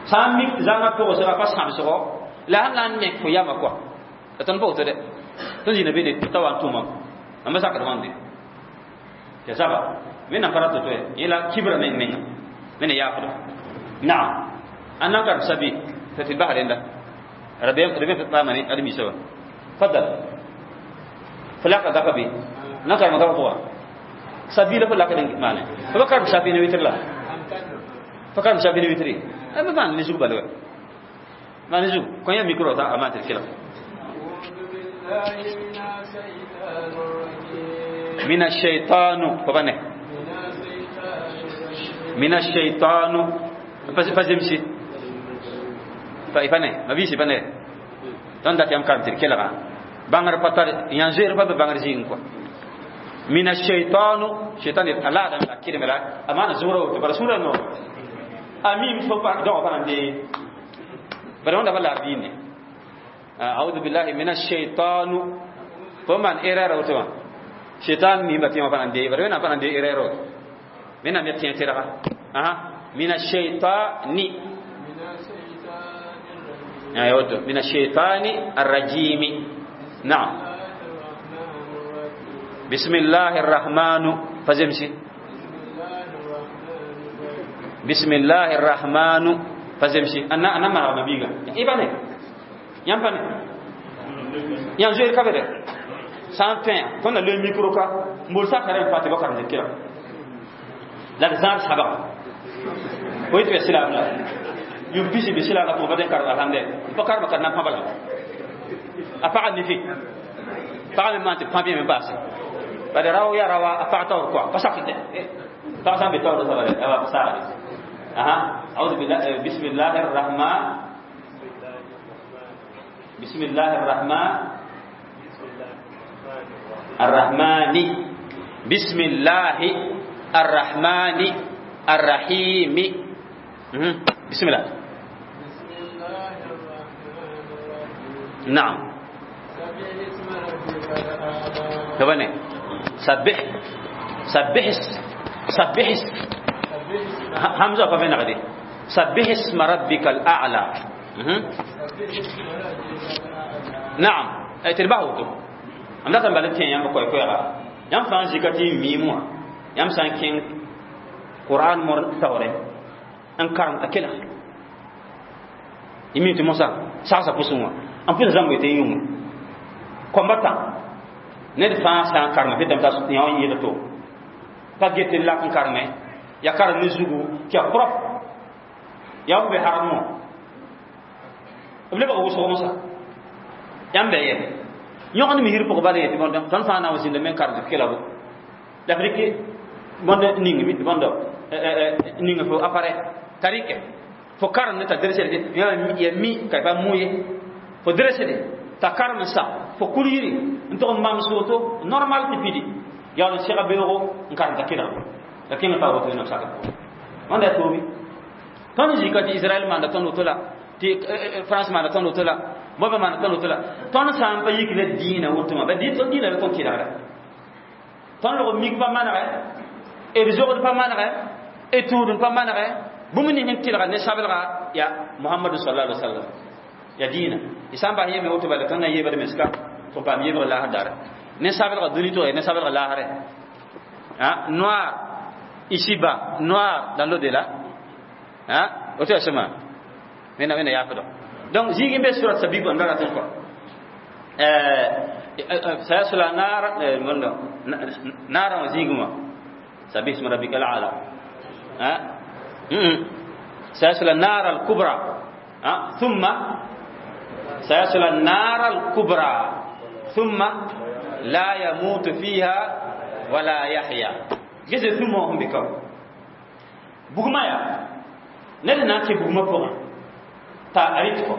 sã n mik zãnga togsga pa sãmsgo la sẽn na n nek fo yama kɔa la tõnd pa woto dɛ tõnd zĩna beene t'a wa n tʋmam mam sakd wãnde tɩ zaba wẽnnaam pa rat to yẽ la kibra meng menga wẽnna yaafda naam an na n karem sabi tɩ tɩ bas rẽnda rabeem paama ne ad-misa wã fadal fo laka gapa be na karema gapa pʋga sabi la fo lak d maane fo pa karem sabi ne witr la fo karem sabi ne witri ba maan ne zug bala wa maan ne zug kõ yã micro t'a a maan tɩ d kelg من الشيطان فبنه من الشيطان فزمشي فبنه ما بيشي بنه دون دات يام كارم تركيلا بانغر باتار يانزير باب بانغر زين كو من الشيطان شيطان الله دم لا كيرم لا امانه زورو تبر سورة نو امين فو با دو با ندي برون دا بلا دين اعوذ بالله من الشيطان فمن ايرار وتوا شيطان مي باتي ما فاندي برون فاندي ايرار من ام يتين تيرا اها من الشيطان ايوه من الشيطان الرجيم نعم بسم الله الرحمن فزمشي بسم الله الرحمن فزمشي انا ما ما بيغا ايباني يامباني يام زوير كابر sans fin ton le micro ka mbol sa kare fati bakar ne kira la zar sabab koy te silam la yum bisi bi silam la ko baden kar alhamde bakar bakar na pabala a pa ni fi pa me man te pa bien me passe ba de raw ya rawa a pa tawr quoi pa sakite pa sa be tawr sa ba ba sa aha a'udhu billahi bismillahir rahman bismillahir rahman الرحمن بسم الله الرحمن الرحيم بسم الله بسم الله الرحمن الرحيم نعم سبح اسم ربك الأعلى تبني سبح سبح سبح سبح اسم همزة فمن غدي سبح اسم ربك الأعلى سبح اسم ربك الأعلى نعم أي تربعه am dat n bal n tẽ yãmb koɛ-koɛɛga yãmb fãa n zika tɩ y miim wã yãmb sã n kẽng Qur'an mor taoorẽ n karem t'a kelg y mi tɩ mosã sagsa pʋsẽ wã n pʋs zãmb tɩ n yũngẽ koamba tã ned fãa sã n karema fetame t'a yã wã yɩɩd to pa get n lak n kareme ya karem ne zugu tɩ ya propre ya f be harem wã b lebg wʋsg mosã yãmb bɛ yɛ yõgd misir pʋg bala yetɩ bõnd tõnd fãa na n zĩnda me n karem tɩ kela bo la f rɩk bõnd ning bõnd ning fo appareil t'a rɩke fo karem ne t'a drsd ya mi ka pa mu ye Fo dresede t'a karem n sa fo kul yiri n tʋg n mam soto normal tɩ pidi yaool n sega beoogo n karem t'a kelg la kẽngã pa woto wẽnnaam sakr pʋgẽ wãnda yaa toobe tõnd zika tɩ Israɛl maanda tõnd woto la tɩ France maanda tõnd woto la bõe maanda tõnd woto la tõnd sã n pa yik ne dĩinã woto wã ba tõnd dĩinã la tõnd kelgda tõnd log mik pa manegɛ d zogd pa manegɛ d tũudn pa manegɛ bũmb ning sẽn tɩlga ne sabelga ya Muhammadu sallallahu alaihi wasallam ya dĩinã y sã n bas yeme woto bala tõnd na yeebd mens ka tɩ paam yebg laasr dara ne sabelga dũni tʋg ne sabelga laasrɛ noir ici-bas, noir dans l'au-delà. Woto yaa sẽma wẽnnaam wẽnna yaafdg donc zĩig n be surat sabib n ra ratẽ kɔ sayasla naara naara wã zĩigẽ wã sabih isma rabbika al-ala sayasla naara al-kubra thumma sayasla naara al-kubra thumma la yamutu fiha wala yahya gese thumma hum bikaw bugma ya ned na n kẽ bugmã pʋgẽ t'a rit kɔ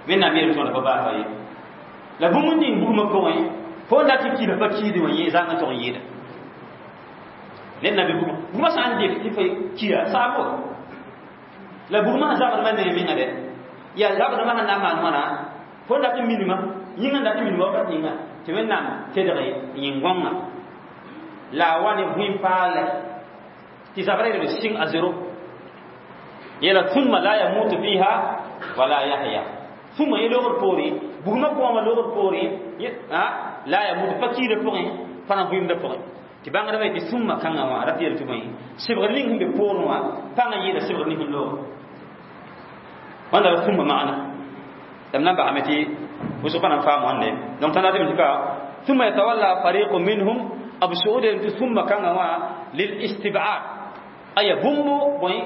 wẽnnaam yeel tõnd pa baasa ye la bũmb n ning bugmã pʋgẽ fo n dat tɩ kila pa kiide wã yẽ zãng n tʋg n yɩɩda ned na be bugmã bugmã sã n def tɩ fo kia saabo la bugmã sã zabdmã nengẽ menga dɛ yaa zabdmã sẽn na n maan wãna fo n dat n minima yĩngã n dat n minima wakat ninga tɩ wẽnnaam tedg yĩn-gõngã la a wa ne bũi-paalɛ tɩ zabrã yel sɩng a zero yela thumma la yamutu fiha wala yahya thumma ye logr poorẽ bugmã kooma logr poorẽ la yamutu pa kiidã pʋgẽ pa na vɩɩmdã pʋgẽ tɩ bãngdbã yetɩ thumma kãngã wã rat yel tɩ bõe sebgr ning sẽn be poorẽ wã pãngã yɩɩda sebgr ning sẽn loog wãnda la thumma maana la m na n basame tɩ wʋsg pa na n faam wãnde donc tõnd ratɩ tɩ ka thumma yatawalla fariqu minhum abu suud tɩ thumma kãngã wã lil istibad aya bũmb bõe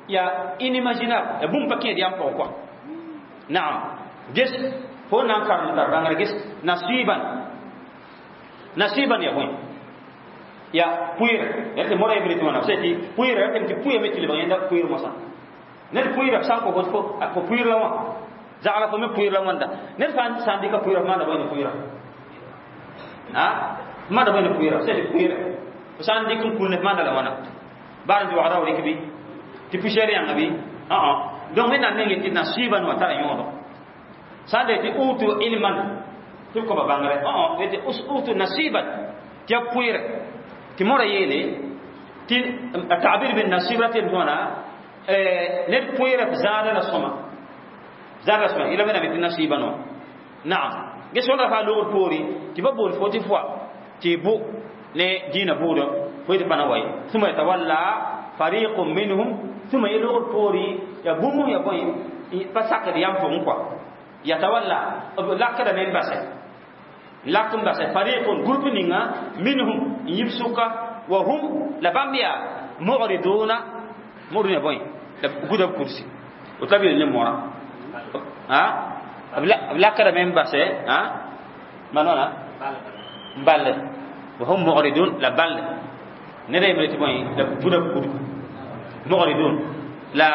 ya inimaginable ya bũmb pa kẽed yam pʋgẽ kɔa naam ges fo na n karem tar bãngr ges nasiban nasiban ya bõe ya pʋɩɩr ya tɩ mora yembre tɩ wãna sã tɩ pʋɩɩr ya tɩ pʋɩame tɩ lebg yẽnda pʋɩɩr mosã ned pʋɩɩra sã n kõ fo pʋɩɩr la wã zagla fo me pʋɩɩr la wãnda ned fãa sã n dɩka pʋɩɩra fo maanda bõe ne pʋɩɩra fo maanda bõe ne pʋɩɩra sã tɩ pʋɩɩra fo sã n dɩk n kul ne fo maanda la wãna baar n tɩ wagra wa rɩk bɩ tɩ poussière yãnga bɩ donc wẽnnaam meng tɩ nasiban wã tara yõodo sã n de tɩ utu ilman tɩ b kõba bãngre tɩ utu nasiban tɩ ya pʋɩɩrɛ tɩ mora yeele tɩ a tabir bin nasib ra tɩ d wãna ned pʋɩɩrɛ b zãada la sõma zãada la sõma yela wẽnnaam tɩ nasiban wã naam ges wãnda faa logr poore tɩ ba bool fo tɩ fʋa tɩ bʋ ne dĩinã bʋʋdã fo tɩ pa na wa ye thumma yatawalla fariqun minhum thumma ye logr poore ya bũmb ya bõe pa sakd yam pʋgẽ kɔa yatawalla b lakdame n basɛ lak n basɛ fariqun groupe ninga minhum n yib sʋka wa hum la bãmb yaa mu'riduna mu'riduna ya bõe la guda b kursi woto la b yel ne mora b lakdame n basɛ maan wãna n ball wa hum mu'ridun la ball ned a yembre tɩ bõe la guda b kursi mu'ridun la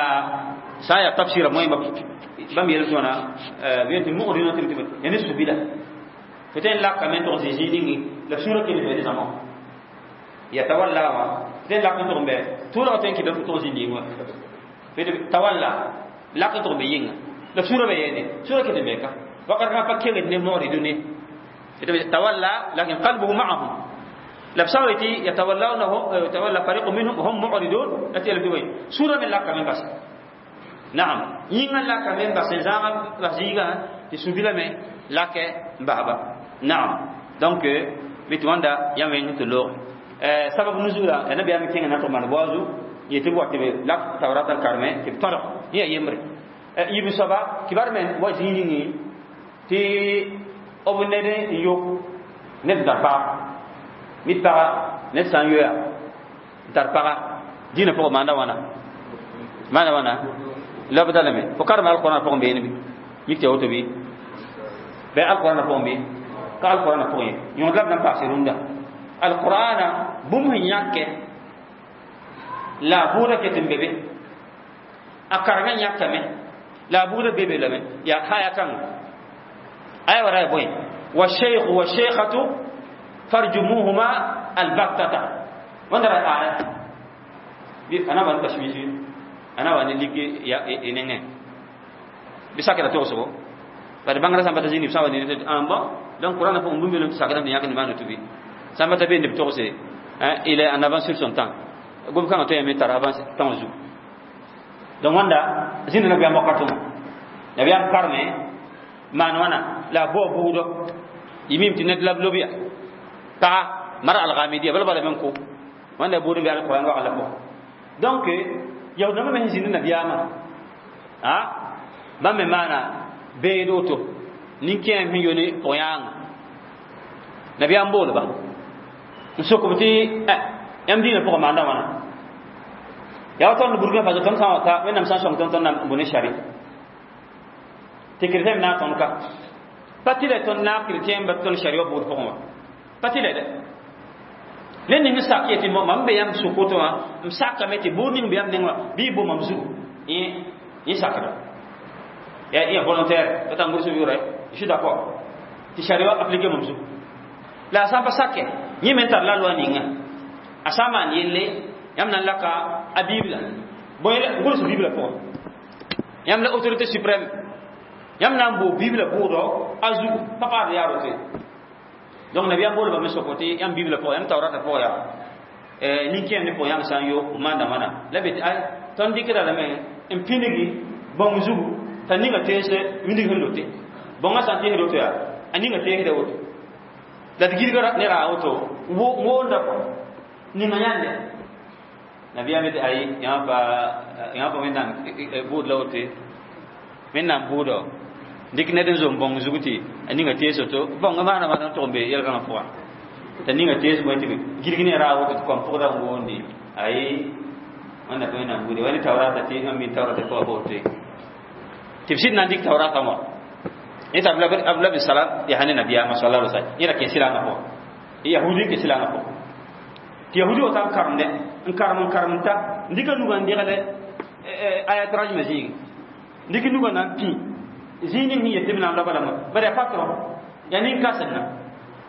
sã n yaa tafsira moẽ bãmb yel tɩ wãna b yel tɩ mu'riduna tɩ ya ne subila fo tõe n lakame n tʋg zĩ zĩig ningi la sũurã kell n be ne zãma yatawalla wã fo tõe n lak n tʋg n bɛ tʋʋlgã tõe n kɩta fo tʋg zĩnd wã tawalla lak n tʋg n be yɩnga la sũurã be yeene sũurã ket n be ka wakat fãa pa kengd ne mu'ridune tawalla lakin qalbuhu ma'ahum la b sã n tɩ yatawallawnahu yatawalla fariqu minhum hum mu'ridun la tɩ yel tɩ bõe sũurã me lakame n basa naam yĩngã lakame n bas n zãag bas zĩigã tɩ sũ-bilame lakɛ n basba naam donc bɩ tɩ wãnda yã wẽng tɩ loog sabab nuzula ya nabiyaam kẽngã na n tʋg maan boazu yetɩ b wa tɩ b lak tawrat n karme tɩ b tõdg yẽ yaa yembre yiib soaba kibar me wa zĩig ningi tɩ b ned n yok ned n tar paga mid paga ned sã n yoya n tar paga dĩinã pʋgẽ maanda wãna maanda wãna la b dalame fo karem alqurãn pʋgẽ beene bɩ mik tɩ ya woto bɩ bɩ alqurãna pʋgẽ bɩ ka alqurãna pʋgẽ ye yõod la b na n paase rũndã alqurãna bũmb sẽn yãkɛ la a buudã ket n be be a karemã yãkame la a buudã be be lame yaa haya kãnga Aya wara boy wa shaykh wa shaykhatu farjumuhuma albattata. Wanda ra aya bi ana ban tashwishi ana wani ligi ya inenge bisa kira to so bari bangara samba tazini bisa wani ne amba donc Coran fo mbumbe lo sakira ni yakni manu tubi samba tabe ne to se hein, il est en avance sur son temps. Gom kan to yame tar avance temps zu. Donc wanda zin na biya makato na biya karme man wana la bo budo yimim tinad lab lobiya ta mar al ghamidiyya bal bal men ko wanda budu bi al Qur'an wa ala ko. Donc yaw na me zin na biya ma ha ba me mana be do to nin kẽem sẽn yo ne pʋg-yãanga nabiyaam boolba n sok b tɩ yãmb dĩinã pʋgã maanda wãna yaa tõnd Burkina Faso tõnd sã n wa ta Wẽnnaam sã n sõng tõnd tõnd na n bũ ne shari tɩ chrétien naag tõnd ka pa tɩ la tõnd naag chrétien ba tõnd shari wã buud pʋgẽ wã pa tɩ la dɛ ned ning n sak yetɩ mam be yãmb sʋk woto wã m sakame tɩ buud ning be yãmb neng wã bɩ y bo mam zugu yẽ sakda ya iya volontaire tata ngursu yure je suis d'accord. Ti sharia appliquer mam zugu la sã pa sake yẽ me tar la loi ninga a sã n maan yelle yãmb na n laka a Bible bõe gʋls Bible pʋgẽ yãmb la autorité suprême yãmb na n boo Bible bʋʋdɔ a zugu pa paad yaa rote. Donc nabiyaam boolba me soko tɩ yãmb Bible pʋgẽ yãmb taoorata pʋgẽ yaa nin-kẽem ne pʋgẽ yãmb sã n yo maanda wãna la be tɩ ay tõnd dɩkda lame n pĩnigi bãmb zugu t'a ninga teese windig sẽn lote bõngã sã n teesd woto yaa a ninga teesda woto la d gilgra ne raa woto woonda kɔ ninga yãnde nabiyaam yetɩ ayi yãmb pa Wẽnnaam bʋʋd la woto Wẽnnaam bʋʋdɔ dɩk ned n zom bõng zug tɩ a ninga tees woto bõngã maana maana n tʋg n be yɛlgãngã pʋgã t'a ninga tees bõe tɩ gilg ne raa woto tɩ kom pʋgda n woondi ayi wẽnna pa Wẽnnaam buude wa ne taoorata tɩ n min taoorata pʋgã pa woto tɩ b sɩd na n dɩk taoorata wã yẽ t'a Abdullah bin Salam yaa ne nabiyaamã sallallahu alaihi wasallam yẽ ra kẽ silangã pʋgã yahudi kẽ silangã pʋgã tɩ yahudi wa ta n karemdɛ n karem n karem n ta n dɩka nugã n degl ayat rajmã zĩigi dɩk nugã na n pĩ zĩig ning sẽn yet tɩ b na n raba lame bara yaa patron yaa nin-kãsengã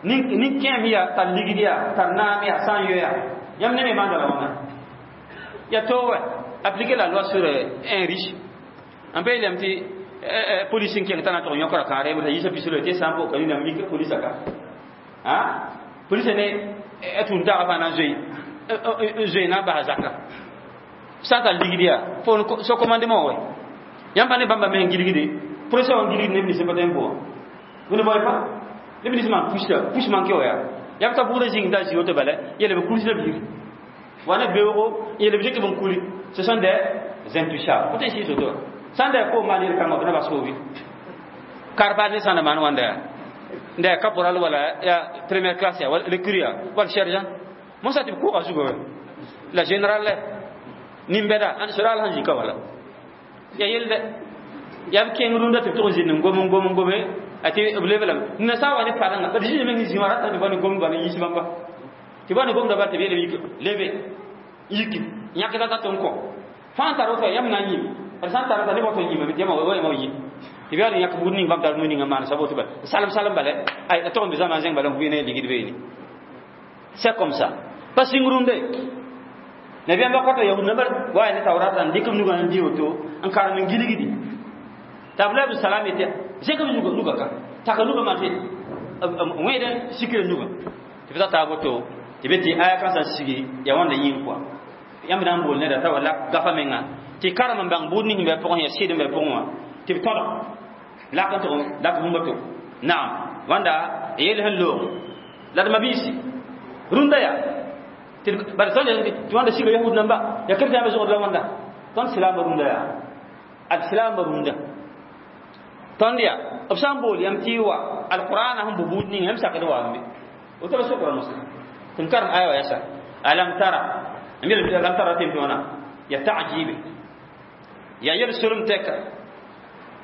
nin-kẽem yaa tar ligd yaa tar naam yaa sã n yo yaa yãmb ne me maanda la wãna yaa to wɛ appliquer la loi sur un riche n pa yeelame tɩ police n kẽng t'a na n tʋg yõkra kãare t'a yiisa pislo tɩ sã n boka nina mik polisa ka a polisa ne a tũun taagã fãa na n zoe na n basa zaka sã n tar ligd yaa fo so commandement wɛ yãmb pa ne bãmba me n gilgde procès wã n gilgd neb nins n pa tõe n boa vous ne voyez pas neb nins maan push manke wa yaa yãmb t'a bʋʋda zĩng t'a zĩ woto bala yele b kuls la biir wa ne beoogo yele b dɩk b n kuli ce sont des intouchables fo tõe n sɩɩs woto sãn da ko maan yel-kãngã b na bas foobi karpa ne sã n da maan wãnda yaa nda ya caporal wala ya première classe ya wala recrue ya wala sergent mosa tɩ b kʋʋga zuga la général la nin-bɛda sodaal sẽn zĩka wala ya yel dɛ yaa b kẽng rũndã tɩ b tʋg n zĩnd n gom n gom n gome a tɩ b leb lame nina sã n wa ne padengã b zĩnd meng zĩ wã rata tɩ ba ne gomd ba ne yiis bãmba tɩ ba ne gomda bal tɩ b yeelame yik lebe yiki yãkda t'a tɩ n kõ fãa tar woto yãmb na n yĩm d sã n tar nebã tõe n yĩmame tɩ yãmb wa yãmb yĩ tɩ b yaa yãk buud ning bãmb tar nu ninga maan sab woto bala salem salem bala ay a tʋg n be zãma zẽng bala n vɩ ne ligd beene. C'est comme ça pa sɩng rũndɛ nabiyaam wakata yahud namba wa ne tawrata n dɩk b nugã n dɩ woto n karem n gilgdi t'a Abdullah bin Salam yetɩ zẽk b nuga ka taka nuga maan tɩ wẽed sikra nuga tɩ b ta woto tɩ be tɩ aya kãnsã sigi yaa wãnda yĩng kɔa yãmb na n bool neda t'a wala gafa menga tɩ karem n bãng buud ning n bɩ pʋgẽ yaa sɩd n bɩ pʋgẽ wã tɩ b tõdg lak n tʋg lak bũmba to naam wãnda yel sẽn loog la d mabiisi rũndã yaa bara tõnd tɩ wãnda siga yahud namba yaa chrétien zogd la wãnda tõnd silaambã rũndã yaa ad silaambã rũndã tõnd yaa b sã n bool yãmb tɩ y wa alqur'ana sẽn bʋ buud ning yãmb sakd waame woto la sokra mosã tɩ n karem aya wa yasa alam tara n yel alam tara tɩ wãna ya ta'jibe ya yel solem tɛka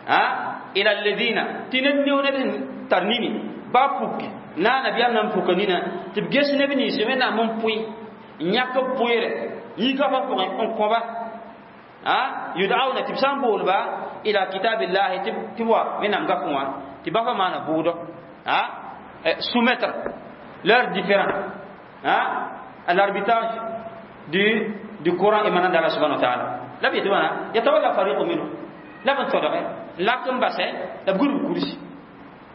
a ila alladhina tɩ ned neo ned sẽn tar nini ba puk na nabiyaam na n puka nina tɩ b ges neb nins Wẽnnaam n pʋɩ n yãk b pʋɩɩre yĩnga fa pʋgẽ n kõba a yud'auna tɩ b sã n boolba ila kitabillahi tɩ wa wẽnnaam gapẽ wã tɩ ba fa maana bʋʋdɔ soumettre leurs différends à l'arbitrage du Coran émanant d'Allah subhanahu wa ta'ala. La bi tɩ wãna yatawalla fariqu minhum la b n tõdge lak n basɛ la b gʋrb kursi.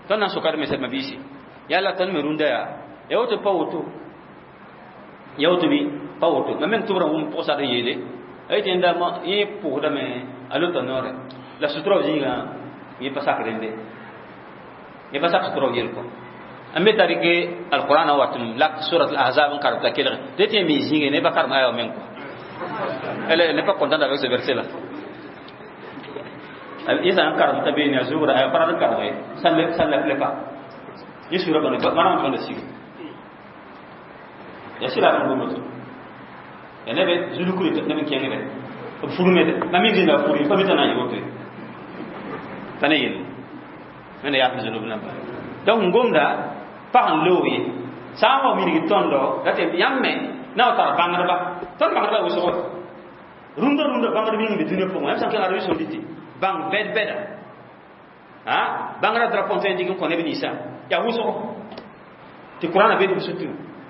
Tõnd na n sokad me sɛdma biisi yalla tõnd me rũndã yaa ya woto pa woto ya woto bɩ pa woto. Mam meng tʋbrã wʋm pʋgsad n yeele a yetɩ yẽnda yẽ pʋʋsdame a lota noorɛ la sutura zĩigã yẽ pa sak rẽnde yẽ pa sak sutura yel kɔ n be tar rɩke alqurana wat n lak surat al-ahzab n karem t'a kelge tɩ tɩ mi zĩige ne pa karem aya meng kɔ. Elle n'est pas contente avec ce verset là. Yẽ sã n karem t'a beene a zugra aya pa rat n karem ye ça ne plaît pas. Yẽ sura bãne manam tõnd sig ya sɩda n gomd ya neb zulukri neb n kẽngdɛ b furmede mam mi zĩnda furi pa mi t'a na n yɩ woto pa ne yelle wẽnda yaaf zunub namba. Donc n gomda pag n loog ye sã n wa wilg tõndo la tɩ yãmb me na wa tar bãngdba tõnd bãngdba wʋsgo rũndã rũndã bãngd ning be dũniyã pʋgẽ yãmb sã n kẽng Arabi Saoudite bãng bɛd bɛda bãngrã drapeau tõe n dɩk n kõ neb ninsã yaa wʋsgo tɩ Qurãna be b sutu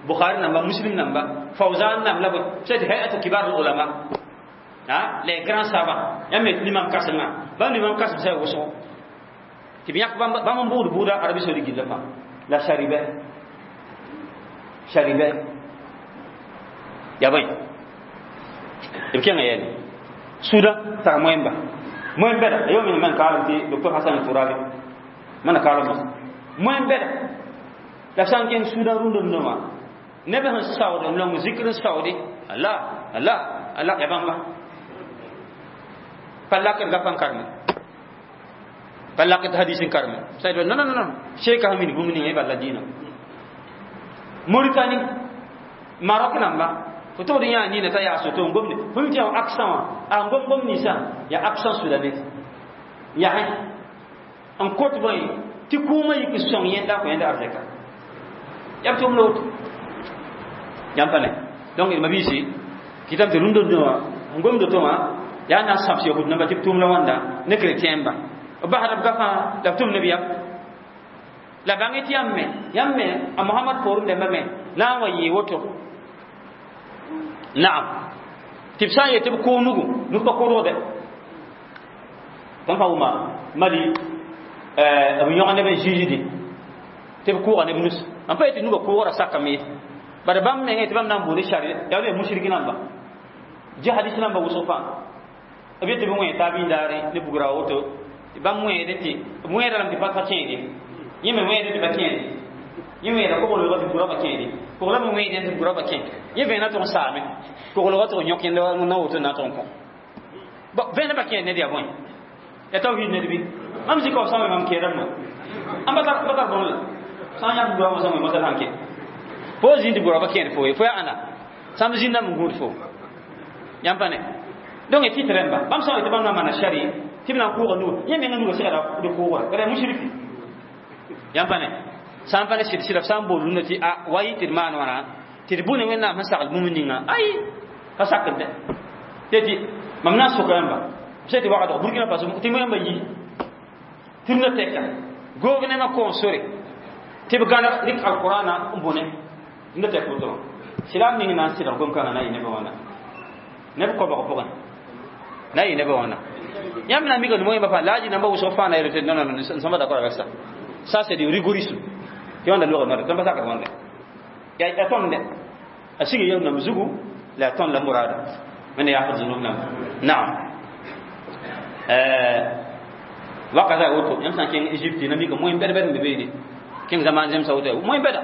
Bukhari namba Muslim namba Fawzan nam la c'est hay'atu kibar ulama les grands savants yãmb me limam kãsenga bãmb limam kãsem sã wʋsgo tɩ b yãk bãmb n buud buuda Arabi Saoudite gilla fãa la sharibe sharibe ya bõe b kẽnga yɛle Sudan tara moẽmba moẽm bɛda a yo men kaalem tɩ docteur Hassan Turabi mana kaalem moẽm bɛda la sã n kẽng Sudan rũndã rũndã wã neb sẽn saood n long zikr n saoode Allah Allah Allah ya bãmba pa lakd gapa n karme pa lakd hadis n karme sai non non non sheikh hamin bũmb ninga bala dĩinã Mauritanie Maroc namba fo togd yã nina t'a yaa soto n gomde fo mi tɩ yaa accent wã a n gom gom ninsã yaa accent soudanais yasẽ n kot bõe tɩ kũumã yik sõng yẽnda kõ yẽnda arzɛka yaa b tʋm la woto yãmb pa ne. Donc d mabiisi kɩtame tɩ rũndã wã n gomd to wã yaa na n sãbs yahud namba tɩ b tʋʋm la wãnda ne chrétien ba b basda b gafã la b tʋm neb yam la bãng tɩ yãmb me a Mohamad poorẽ dãmbã me na n wa yɩɩ woto naam tɩ b sã n yet tɩ b kʋʋg nugu nug pa kʋʋdgde tõnd pa wʋma Mali b yõg neb n zĩisdi tɩ b kʋʋga neb nus n pa yetɩ nugã kʋʋgrã sakame ye bara bãmb mengẽ tɩ bãmb na n buud shari yaa ne mushriki namba jihadis namba wʋsg fãa b yetɩ b wẽ taab yĩndaare ne bugra woto tɩ bãmb wẽede tɩ b wẽeda lame tɩ pa kẽede yẽ me wẽede tɩ pa kẽede yẽ wẽeda koglgã tɩ bugrã pa kẽede koglã me wẽede tɩ bugrã pa kẽ yẽ vẽenã tʋg n saame koglgã tʋg n yõk yẽnda na woto na tʋg n kõ vẽenã pa kẽed ned yaa bõe ya tawhid ned bɩ mam zika f sã wẽ mam kẽedame ãn pa tar bõn la sã n yãk bugrã wã sã wẽ masal sãn kẽ fo zĩnd bugrã pa kẽed fo ye fo yaa ãnna sãmb zĩndame n gũud fo yãmb pa ne. Donc tɩ tɩ rẽmba bãmb sã n tɩ bãmb na n maana shari tɩ b na n kʋʋga nuga yẽ menga nuga segda d kʋʋgra bara mushriki yãmb pa ne sã n pa ne sɩd sɩda b sã n bool rũndã tɩ a wa yɩ tɩ d maan wãna tɩ d bũ ne Wẽnnaam sẽn sagl bũmb ninga ay pa sakd dɛ tɩ tɩ mam na n soka yãmba b sã tɩ wagdg Burkina Faso tɩ yãmba yi tɩ rũndã tɛka gouvernement kõon sore tɩ b gãneg rɩk alqurana n bõne rũndã tɛk woto wã sɩlam ning na n sɩdg gom-kãngã na n yɩ nebã wãna neb koabg pʋgẽ na n yɩ nebã wãna yãmb na n mika nemo yẽmba fãa laaji namba wʋsg fãa na yel non non non, nous sommes d'accord avec ça. Ça, c'est du rigorisme. Tɩ wãnda log nore tõnd pa sakd wãnda ya tõnd dɛ a sig yel nam zugu la tõnd la murada wẽnda yaafd zunub namba naam wakata woto yãmb sã n kẽng Égypte na mika moẽ bɛd bɛd n be beene kẽng zaman zemsa woto moẽ bɛda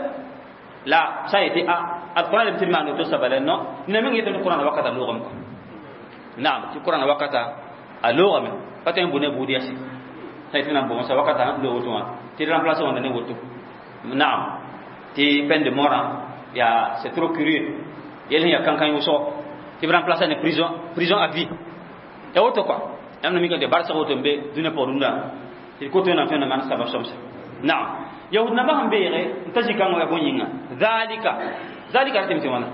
la sã n yetɩ a alqurãn leb tɩ d maan woto sabala non nina meng yetame tɩ qurãna wakata loogame kɔ naam tɩ qurãna wakata a loogame pa tõe n bʋ ne buud yase sã yetɩ na n bʋ sa wakata loog woto wã tɩ d remplace wãnda ne woto naam tɩ peine de mort ya c'est trop curieux yel sẽn yaa kãnkã wʋsgo tɩ b remplace ne prison prison à vie ya woto quoi yãmb na mika tɩ barsg woto n be dũniyã pʋgẽ rũndã tɩ d kot wẽnnaam tõe n na maan sabab sõmsa naam yahud nambã sẽn beege n ta zĩ-kãngã yaa bõe yĩnga zalika zalika ratɩ tɩ wãna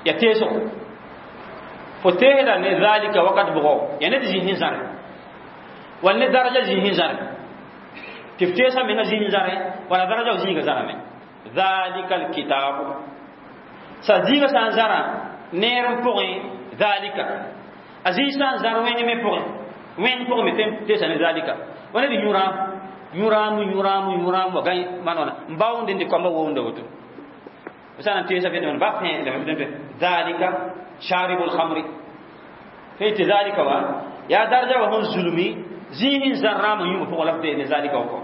yaa teesgo fo teesda ne zalika wakat bʋgɔ yaa ned zĩ sẽn zãre Wala daraja zĩig zãre tɩ f teesa menga zĩig zãre wala daraja zĩiga zãrame dhalika alkitabu sa zĩiga sã n zãrã neer n pʋgẽ dhalika a zĩig sã n zãr wẽng me pʋgẽ wẽng pʋgẽ me teesa ne dhalika wala d yũraam yũraam yũraam yũraam wa gãe maan wãna n baoonde n dɩ koamba woonda woto sã n teesa fẽdme ba fẽedame dhalika sharibul khamri fẽe dhalika wa ya daraja wa sẽn zulmi zĩig n zãr rãam n yũma pʋgẽ la f ne zalika wa kɔ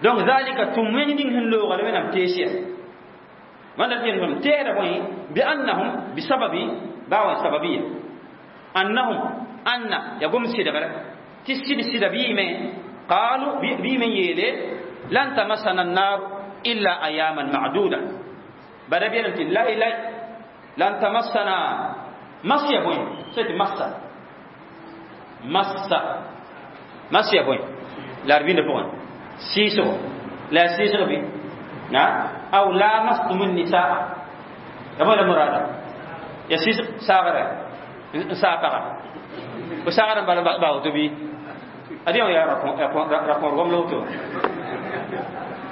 donc zalika tʋm wẽng ning sẽn looga la wẽnnaam tees yaa wãnda tɩ teesda bõe bi annahum bisababi baa wa sababiya annahum anna ya gom sɩdgre tɩ sɩd sɩda bɩɩme qalu bɩɩme n yeele lan tamassana annar illa ayaman ma'duda bada bɩ tɩ lay lay lan tamassana mas ya bõe sã tɩ massa massa mas ya bõe la d bĩnda pʋgẽ sɩɩsgo la ya sɩɩsg bɩ na aw lamastum nisaa ya bõe la murada ya sɩɩs saagre n saa paga fo saagr n bala ba woto bɩ adi ya rakõr gom la woto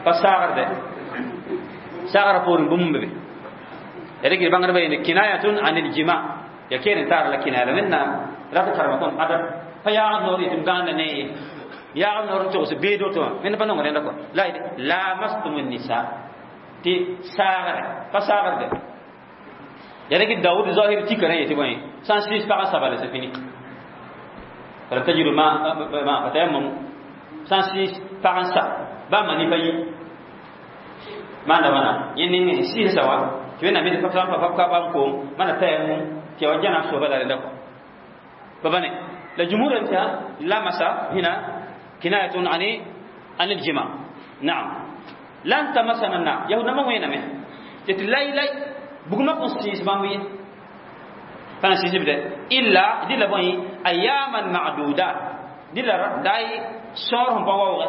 pa saagr dɛ saagra poorẽ bũmb be ya rɩk bãngdbã yeele kinayatun an iljima ya keen n taar la kinaya la wẽnnaam rat karema tõnd adab pa yaagd noor yetɩ m gãanda ne ye yaagd noor n togs beed woto wã wẽnd pa nong rẽnda kɔ la lamastum nisa tɩ saagre pa saagr dɛ ya rɩk Daoud zahir tika rẽ yetɩ bõe sã n sɩɩs pagã sabale c'est fini falam tajidu ma ma fatayammamu sã n sɩɩs pagã sa ba mani pa yi maanda wãna yẽ ning sɩɩsa wa tɩ wẽnnaam yetɩ sã n pa ka bãmb koom mana tayammum tɩ ya wa jãna soaba la rẽnda kɔ pa bane la jumhur tɩ lamasa hina kinayatun ani an aljima naam lan tamassana an-nar yahud namba wẽename tɩ tɩ lay lay bugmã kõn sɩɩs bãmb ye pa na sɩɩs b dɛ illa dɩla bõe ayaman ma'dudat dɩla daay sõor sẽn pa waoogɛ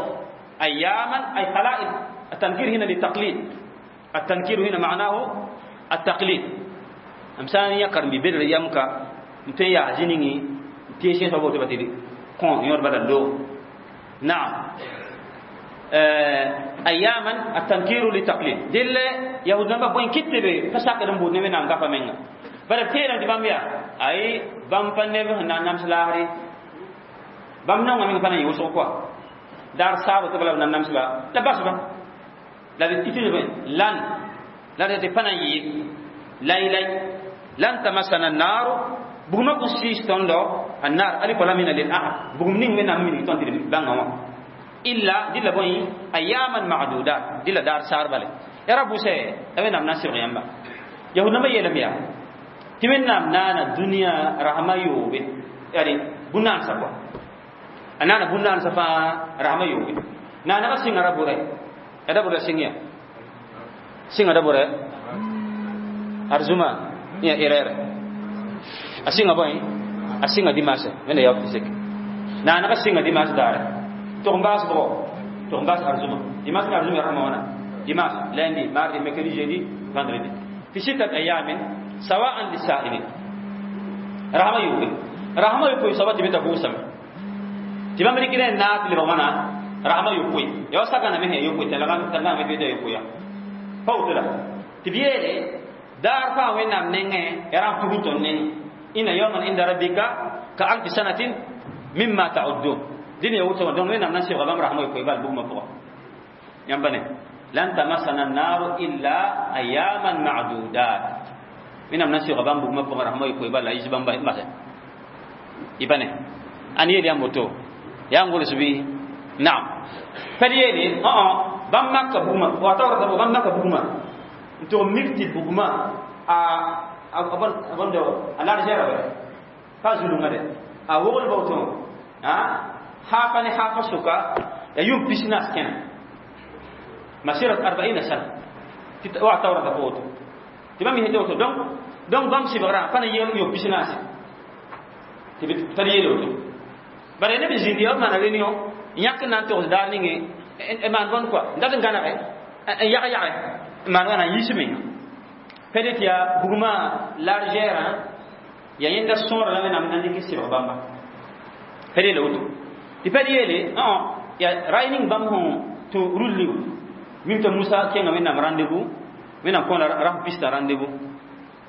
ayaman ay qala'il التنكير هنا للتقليد التنكير هنا معناه التقليد أمسان يقرن ببر يمكا متى يعزيني تيشين سبوت بتدي كون يور بدل لو نعم أياما التنكير للتقليد دل يهود نبا بوين كتبه فساق دم بود نمنا نغفا منغا بل تيرا دي باميا أي بام بنب نانام سلاهري بام نونغ من فانا يوسو كوا دار سابو تبلا نانام سلا لا باس با لا تيتي لن لا تي فانا يي لاي لاي لن تمسنا النار bugma ko sis tondo annar alif lam min lil ahad bugum ning men am min ton dir banga wa illa dilla boy ayaman ma'dudat dilla dar sar bale ya rabu se awen am nasir yamba yahud ma yelam ya timen nam nana dunya rahma yobe yani bunan sa ko anana bunan sa fa rahma yobe nana ba singa rabure ada bure singa singa da bure arzuma ya erere asinga boy asinga dimanche mene ya fisik na na asinga dimanche dare to mbas bo to mbas arzuma dimanche arzuma rahma wana dimanche lundi mardi mercredi jeudi vendredi fi sittat ayamin sawa'an lisa'ilin rahma yubi rahma yubi sabati bita busam tibam rikine naat li bamana rahma yubi ya saka na mehe yubi talaga talaga me bida yubi ya pawtula tibiyele dar fa wenam nenge yaram tuguton nenge إن يوما عند ربك كألف سنة مما تعدون دين يوتو دون وين نانسي غبام رحمه يقبل بوما فوق ينبني لن تمسنا النار إلا أياما معدودات من نانسي غبام بوما فوق رحمه يقبل لا يجبان بس يبني أن يلي أموتو يانغول سبي نعم فليلي بام مكة بوما واتورة بام مكة بوما انتو مكتي بوما abon do ala jera ba fa zulunga de a wogol bawton ha hafa ni hafa suka ya yum pisnas kena masirat 40 sana wa tawra da foto tibam mi heto donc donc bam si bara fa na yem yo pisnas tibi tariye do bare ne bi zindi o mana renio nyak nan to dar ni e man bon quoi ndat ngana e yaga yaga man wana yismi peut-être ya buguma largeur ya yenda sora la menam nandi ki sibra bamba pede le wuto Tɩ pɛd yeele ya ray ning bãmb sẽn tũ rulli mim t'a Musa kẽnga Wẽnnaam rendez-vous, Wẽnnaam kõ la rasem pista rendez-vous.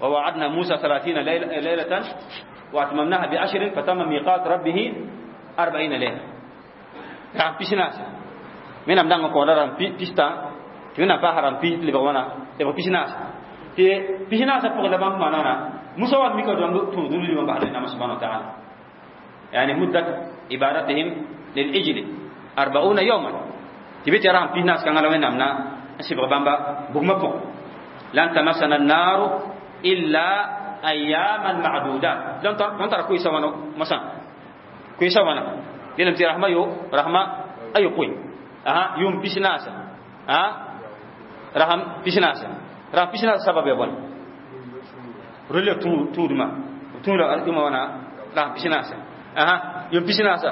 Wa waadna Musa 30 laylatan wa atmamnaha bi ashrin fatamma miqat rabbih 40 layla. Rasem pisnaase Wẽnnaam dãngã kõ la rasem pista tɩ Wẽnnaam paasa rasem pis lebg wãna lebg pisnaase tɩ pisnaasã pʋgẽ la bãmb maana Musa wa mika dõmb tũ rulli wã basd Wẽnnaam subhanahu wa ta'ala. Yani muddat ibadatihim lil-ijli 40 yawman tɩ bɩ tɩ rasem pisnaas kãngã la Wẽnnaam na n sɩbg bãmba bugmã pʋgẽ. Lan tamassana an-naru illa ayyaman ma'dudat. Tõnd tara koeesa wãna mosã koeesa wãna yeelame tɩ rasma yo rasma a yopoe yʋʋm pisnaasa rasam pisnaasa rasam pisnaasa sabab ya bõne rʋlya tũudmã tũuda yʋma wãna rasam pisnaasa yʋʋm pisnaasa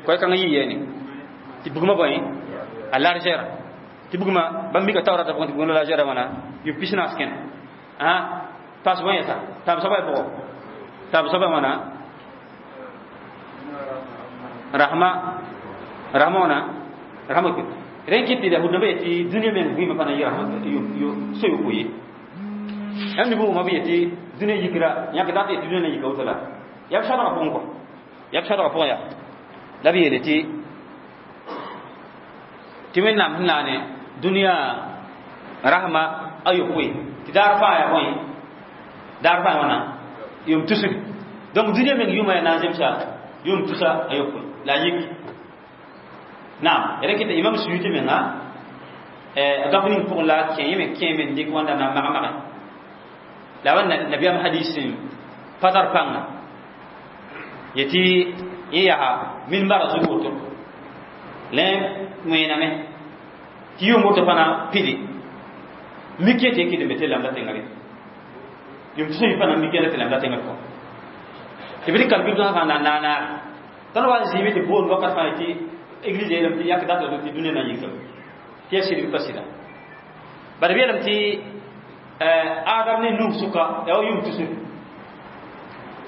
koɛ kãngã yɩ yɛɛne tɩ bugmã bõe a largeur tɩ bugmã bãmb mika taoorata pʋgẽ tɩ bugmã largeur wãna yʋʋm pisnaas kẽne paas bõe yɛsa taab soaba y pʋgɔ taab soaba wãna rahma rahma wãna rahma rẽn kɩt tɩ yahud nambã yetɩ dũniyã meng vɩɩmã pa na yɩ rahma so yopoe ye yãmb ne bʋʋmã b yetɩ dũniyã yikra yãk dat yetɩ dũniyã na yika woto la yaa b sadgã pʋgẽ kɔ yaa b sadgã pʋgẽ yaa la b yeele tɩ Wẽnnaam sẽn naane dũniyã rahma a yopoe tɩ daar fãa yaa bõe daar fãa wãna yʋʋm tusg. Donc dũniyã meng yʋʋmã yaa na n zemsa yʋʋm tusa a yopoe la a yik. Naam rẽ kɩta Imam Suyuti menga a gãp ning pʋgẽ la kẽ yẽ me kẽ me n dɩk wãnda na n mag-mage la wa nabiyaam hadis pa tar pãnga yetɩ yẽ yaa minbara zug woto la wẽename tɩ yʋʋm woto fãna pidi mik yetɩ kɩdembe tɩ lambda tẽngã re yʋʋm tʋsa yɩ fãna mik yɛla tɩ lambda tẽngã pʋgẽ tɩ b rɩk calcul tõsã fãa na n naanaar tõnd wa n zĩime tɩ boond wakat fãa tɩ église yeelame tɩ yak data tɩ dũniyã na n yikame tɩ yaa sɩd bɩ pa sɩda bala b yeelame tɩ Adam ne Nuh sʋka yaa wa yʋʋm tusr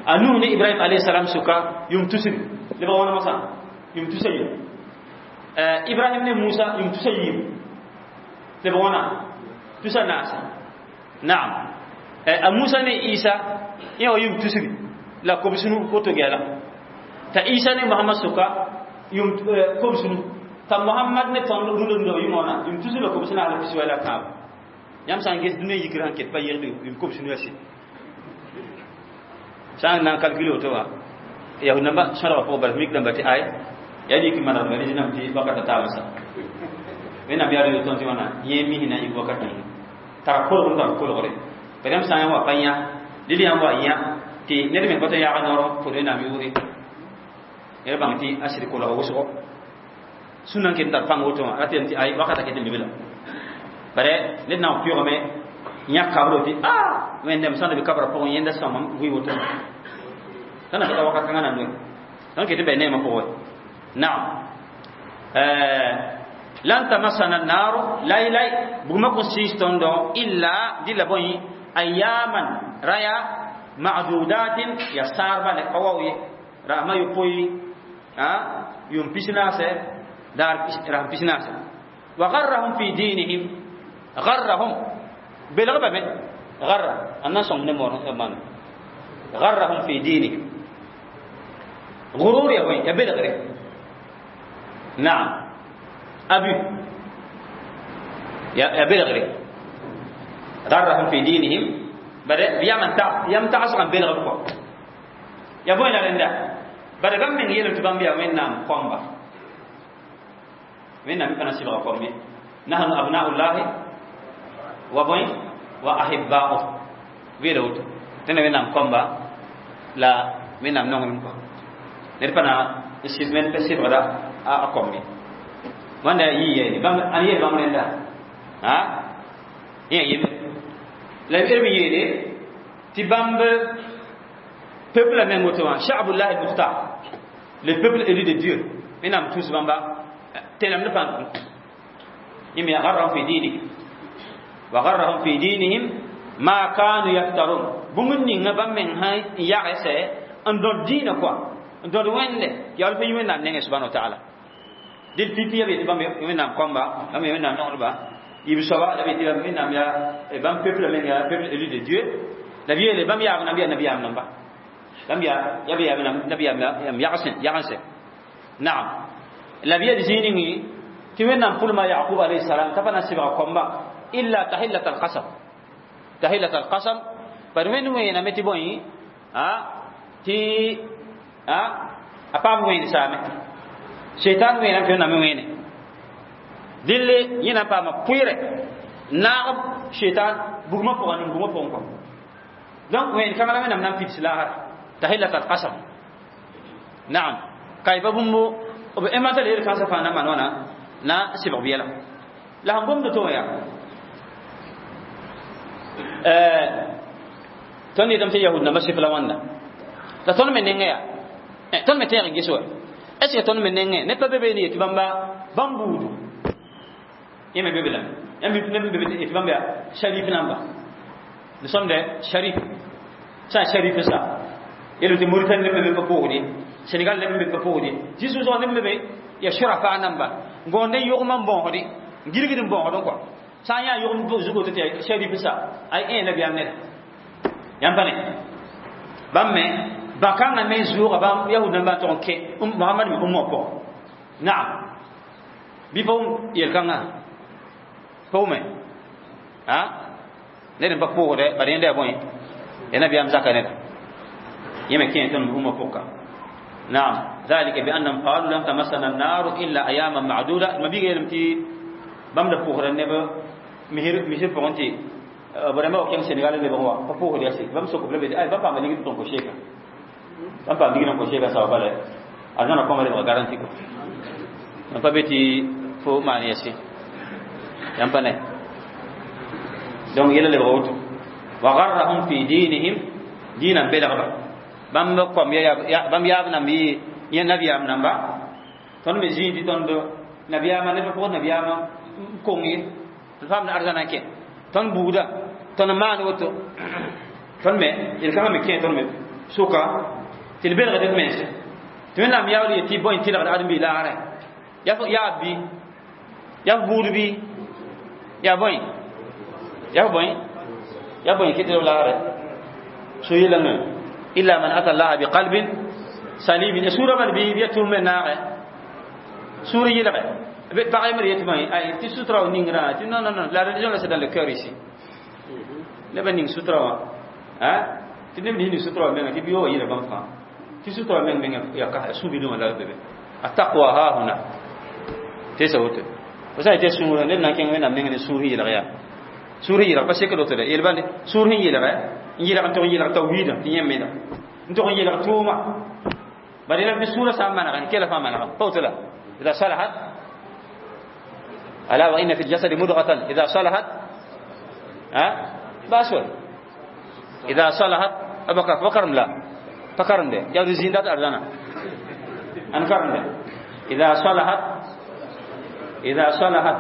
a Nuh ne Ibrahim alayhi salam sʋka yʋʋm tusr lebg wãna mosã yʋʋm tusa yiib Ibrahim ne Musa yʋʋm tusa yiib lebg wãna tusa naasa. Naam a Musa ne Isa yẽ wa yʋʋm tusr la kobsnu koto gɛla t'a Isa ne Muhammad sʋka yʋʋm kobsnu t'a Muhammad ne tõnd rũndã rũndã yʋʋm wãna yʋʋm tusr la kobsna la pis la tãabo yãmb sã n ges dũniyã yikr sãn ket pa yegd yʋʋm kobsnu ya sɩd sã n na n calcule woto wã yahud nambã sõdgã pʋgẽ bala mik dãmba tɩ ay yaa yik manegdmã rẽsnam tɩ wakata taabã sa Wẽnnaam yaa rɩ tõnd tɩ wãna yẽ mis na yik wakat ninga tara kolgr n tar kolgre bala yãmb sã n wa pa yã dɩl yãmb wa yã tɩ ned me pa tɩ yaag noor pʋd Wẽnnaam yʋʋre ned bãng tɩ a sɩd kolga wʋsgo sũnã n ket n tar pãng woto wã rat tɩ ay wakata ket n be la bare ned na n pʋʋgame yãk kabro tɩ a Wẽnnaam sãn da be kabra pʋgẽ yẽnda sõma vɩ woto tõnd na wakat kãngã na n noe tõnd ket n bɩ neemã pʋgẽ. Naam lan tamassana an-naru lay lay bugmã kõn sɩɩs tõndo illa dɩla bõe ayaman raya ma'dudatin ya saarba le pa wao ye rasmã yopoe yʋʋm pisnaase daar rasm pisnaase. Wa garrahum fi dinihim garrahum belg bame garra n na n sõng ne moor man garrahum fi dinihim gurur ya bõe ya belgre. Naam abu ya belgre garrahum fi dinihim bare yam tagsg n belg kɔ ya bõe la rẽnda bare bãmb meng yeelame tɩ bãmb yaa Wẽnnaam kõmba Wẽnnaam me pa na sɩbga kõm ye nahnu abnaullahi wa bõe wa ahibba'u weela woto tẽna Wẽnnaam kõmba la Wẽnnaam nonglem kɔ ned pa na n sɩbgda a kõm ye wãnda yɩ yeele bãmb ãn yeel bãmb rẽnda a yẽ yem la b yeele tɩ bãmb peuple meng woto wã sha'bullah al-mukhtar, le peuple élu de Dieu. Wẽnnaam tus bãmba tẽnemd pãng yẽ me garrahum fi dinihim wa garrahum fi dinihim ma kanu yaftarun bũmb ninga bãmb meng sã n yagsɛ n dõd dĩinã kɔa. N tõd wẽnde yaool pa yi Wẽnnaam nengẽ subhana wa taala. Dɩl pipi ya be tɩ bãmb Wẽnnaam kõmba, bãmb Wẽnnaam nongdba, yib soaba la be tɩ bãmb Wẽnnaam yaa bãmb peuple meng yaa peuple élu de Dieu. La b yeele bãmb yaab namba yaa nabiyaam namba. Bãmb yaa ya be yaa nabiyaam yam yagsẽ yagense. Naam. La b yel zĩig ningi tɩ Wẽnnaam pʋlma Yaqub alayhi salam t'a pa na n sɩbga kõmba illa tahillat alqasam. Tahillat alqasam bari Wẽnd wẽename tɩ bõe a tɩ a paam wẽen saame. Shaitan wẽename tɩ Wẽnnaam me wẽene. Dille yẽ na n paama pʋɩɩrɛ naag shaitan bugmã pʋgã nin bugmã pʋgẽ kɔ. Donc wẽen kãngã la Wẽnnaam na n pids laagre tahillat alqasam. Naam. Kayba bũmbo b inventa la yel kãnsã fãa na n maan wãna na n sɩbg biɛla. La sẽn gomd to yaa tõnd yetame tɩ yahud nambã sɩf la wãnda. La tõnd me nengẽ yaa tõnd me tẽeg n ges wa. Est ce que tõnd me nengẽ ned pa be be ne yetɩ bãmba bãmb buudu yẽ me be be lame. Yãmb neb n be be yetɩ bãmb yaa sharif namba. Nous sommes des sharif. Sã n sharif sa. Yelame tɩ Mauritanie neb me be pa pʋgd ye. Sénégal neb me be pa pʋgd ye. Zĩ-sʋʋsgã neb me be ya shurafa namba. N gõond n yogmã n bõosde, n gilgd n bõosdẽ kɔa. Sã n yaa yogm zugo tɩ yaa sharif sa, ay ẽ nabiyaam neda. Yãmb pa ne. Bãmb me bãkãngã me zʋʋga bãmb yahud nambã n tog n kẽ Mohamad me umma pʋgẽ. Naam. Bɩ pa wʋm yel-kãngã? Pa wʋme? A? Ned n pa pʋʋsdɛ, bad yẽnda yaa bõe? Yaa nabiyaam zaka neda. Yẽ me kẽ tõnd umma pʋka. Naam. ذلك بأنهم قالوا لن تمسنا النار إلا أياما معدودة. ما بيجي يلم تي bãmb da pʋʋsda neb misir misir pʋgẽ tɩ b rãmbã wa kẽng Senegal lebg wã pa pʋʋsd yaa bãmb sok b la be ay bãmb paama ligd tõn ko sheeka bãmb paam ligd n ko sheeka sao bala arzãna kõma lebga garanti ko n pa be tɩ fo maan yɛse yãmb pa ne. Donc yɛla lebga woto wa garrahum fi dinihim diinã belgba bãmb kom ya bãmb yaab namba yɩ yẽ nabiyaam namba tõnd me zĩig tɩ tõnd nabiyaamã neb pa pʋgd nabiyaamã n kong ye tɩ faamd arzãna n kẽ tõnd buuda tõnd maan woto tõnd me yel-kãngã me kẽ tõnd me sʋka tɩ d belgd d mense tɩ Wẽnnaam yaool yetɩ bõe tɩlgd ãdem-biig laagre yaa bɩ yaa f buud bɩ yaa bõe yaa f bõe yaa bõe kɩtd b laagre so yelengẽ illa man ata allaha biqalbin salim. Sura bal bɩ ya tʋm me naagɛ sũur yɩlgɛ pag yembr yetɩ bõe ay tɩ sutra w ningrã tɩ non non non, la religion là, c'est dans le cœur ici. Neb n ning sutra wã tɩ neb ning sutra wã menga tɩ bi wa yɩla bãmb fãa tɩ sutra wã meng menga yaa ka sũ-bilgã la be be attaqwa ha huna tɩ sa woto fo sã n tɩ sũurã ned na n kẽng Wẽnnaam neng ne sũur sẽn yɩlg yaa sũur sẽn yɩlg pa sek woto de yel bãnde sũur sẽn yɩlgɛ n yɩlg n tog n yɩlg tawhiidã tɩ yẽ meda n tog n yɩlg tʋʋma bari la sũurã sã n manegẽ kela fãa manegã pa woto la إذا صلحت ألا وإن في الجسد مضغة إذا صلحت ها باسول إذا صلحت أبكر فكرم لا فكرم ده يا رزيندات أرزانا أنكرم ده إذا صلحت إذا صلحت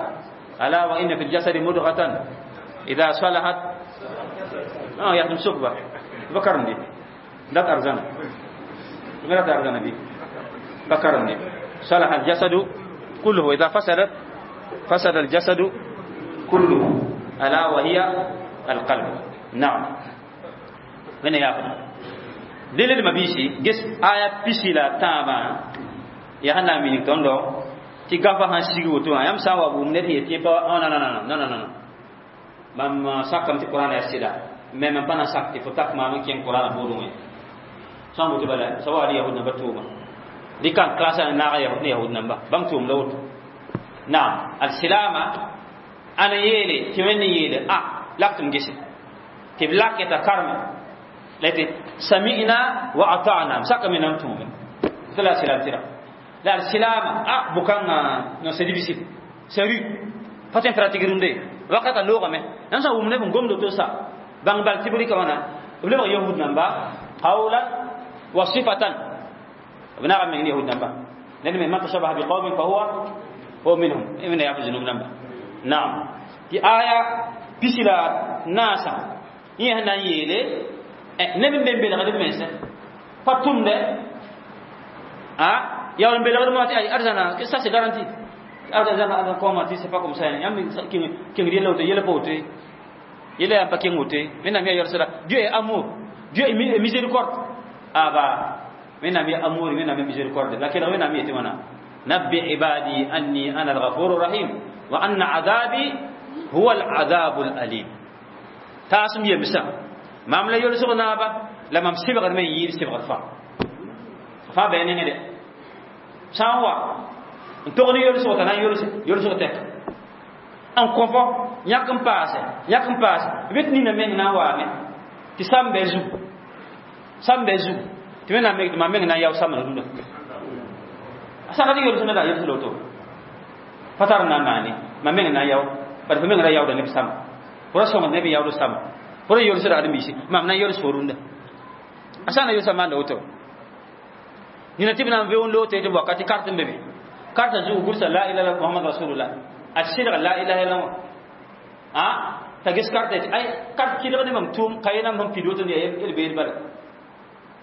ألا وإن في الجسد مضغة إذا صلحت يا سكبة فكرم دي لا أرزانا لا أرزانا دي فكرم دي صلح الجسد كله إذا فسدت فسد الجسد كله ألا وهي القلب. نعم. من يأخذ دليل ما بيشي جس آية بيشي لا تابا يا هنا من تندو تي غافا هان سيغي وتو يام ساوا بوم نت يتي با oh non non non non non non mam sakam ti Qur'an ya sida mais même pas na sak ti fo tak ma kien Qur'an bodu ngi sambu ti bala sawali yahud na batuma di kan klasa na ga yahud ne yahud namba bam tum lawt. Naam. Al silama ana yele ti wenni yele a laktum gese ti laketa karma lati sami'na wa ata'na saka min antum tala silam tira la al silama a bukanga non, c'est difficile, sérieux fatin pratique runde wakata loga me nan sa wumne bun gomdo to sa bang bal tibri ka wana le yahud namba qawlan wa sifatan بنعم من يهود نبا لأن من تشبه بقوم فهو هو منهم من يحفظ نبا. نعم. في آية بسلا ناسا يهنا يلي نبي بن بن غدي منسى فتم ده Ah, ya on belgr mo ti ay arzana que ça c'est garanti. Arzana arzana comment c'est pas comme ça. Yam king yele woto yele pote. Yele am pa king wote. Mena mi yor sala. Dieu est amour. Dieu est miséricorde. Ah bah mena mi amour mena mi miséricorde. Lakin mena mi timana. نبئ عبادي أني أنا الغفور الرحيم وأن عذابي هو العذاب الأليم. تاسم يمسا مام لا يلسغ نابا لما مسبغ من يير سبغ فا فا بينين دي سانوا ntogni yolsg t'a na n yolsg tɛk n kõ fo yãk n paase yãk n paase b tɩ nina meng na n waame tɩ sam bɛ zug sam bɛ zug tɩ wẽnnaam me tɩ mam meng na n yao samd rũndã a sãka tɩ yolsg neda yels la woto pa tar n na n maane mam meng na n yao bad fo meng ra yaooda neb sama fo ra sõngd neb n yaood sama fo ra yolsda ad-biisi mam na n yols fo rũndã a sã n na yolsã maanda woto nina tɩ b na n veo n loog tɩ wakati carte n be be karta zugu gursa la ilaha illallah muhammad rasulullah. A sɩdg la ilaha illallah. A t'a ges karta tɩ ay kart kɩdg ne mam tʋʋm ka yẽnam sẽn pid woto ne yel beed bala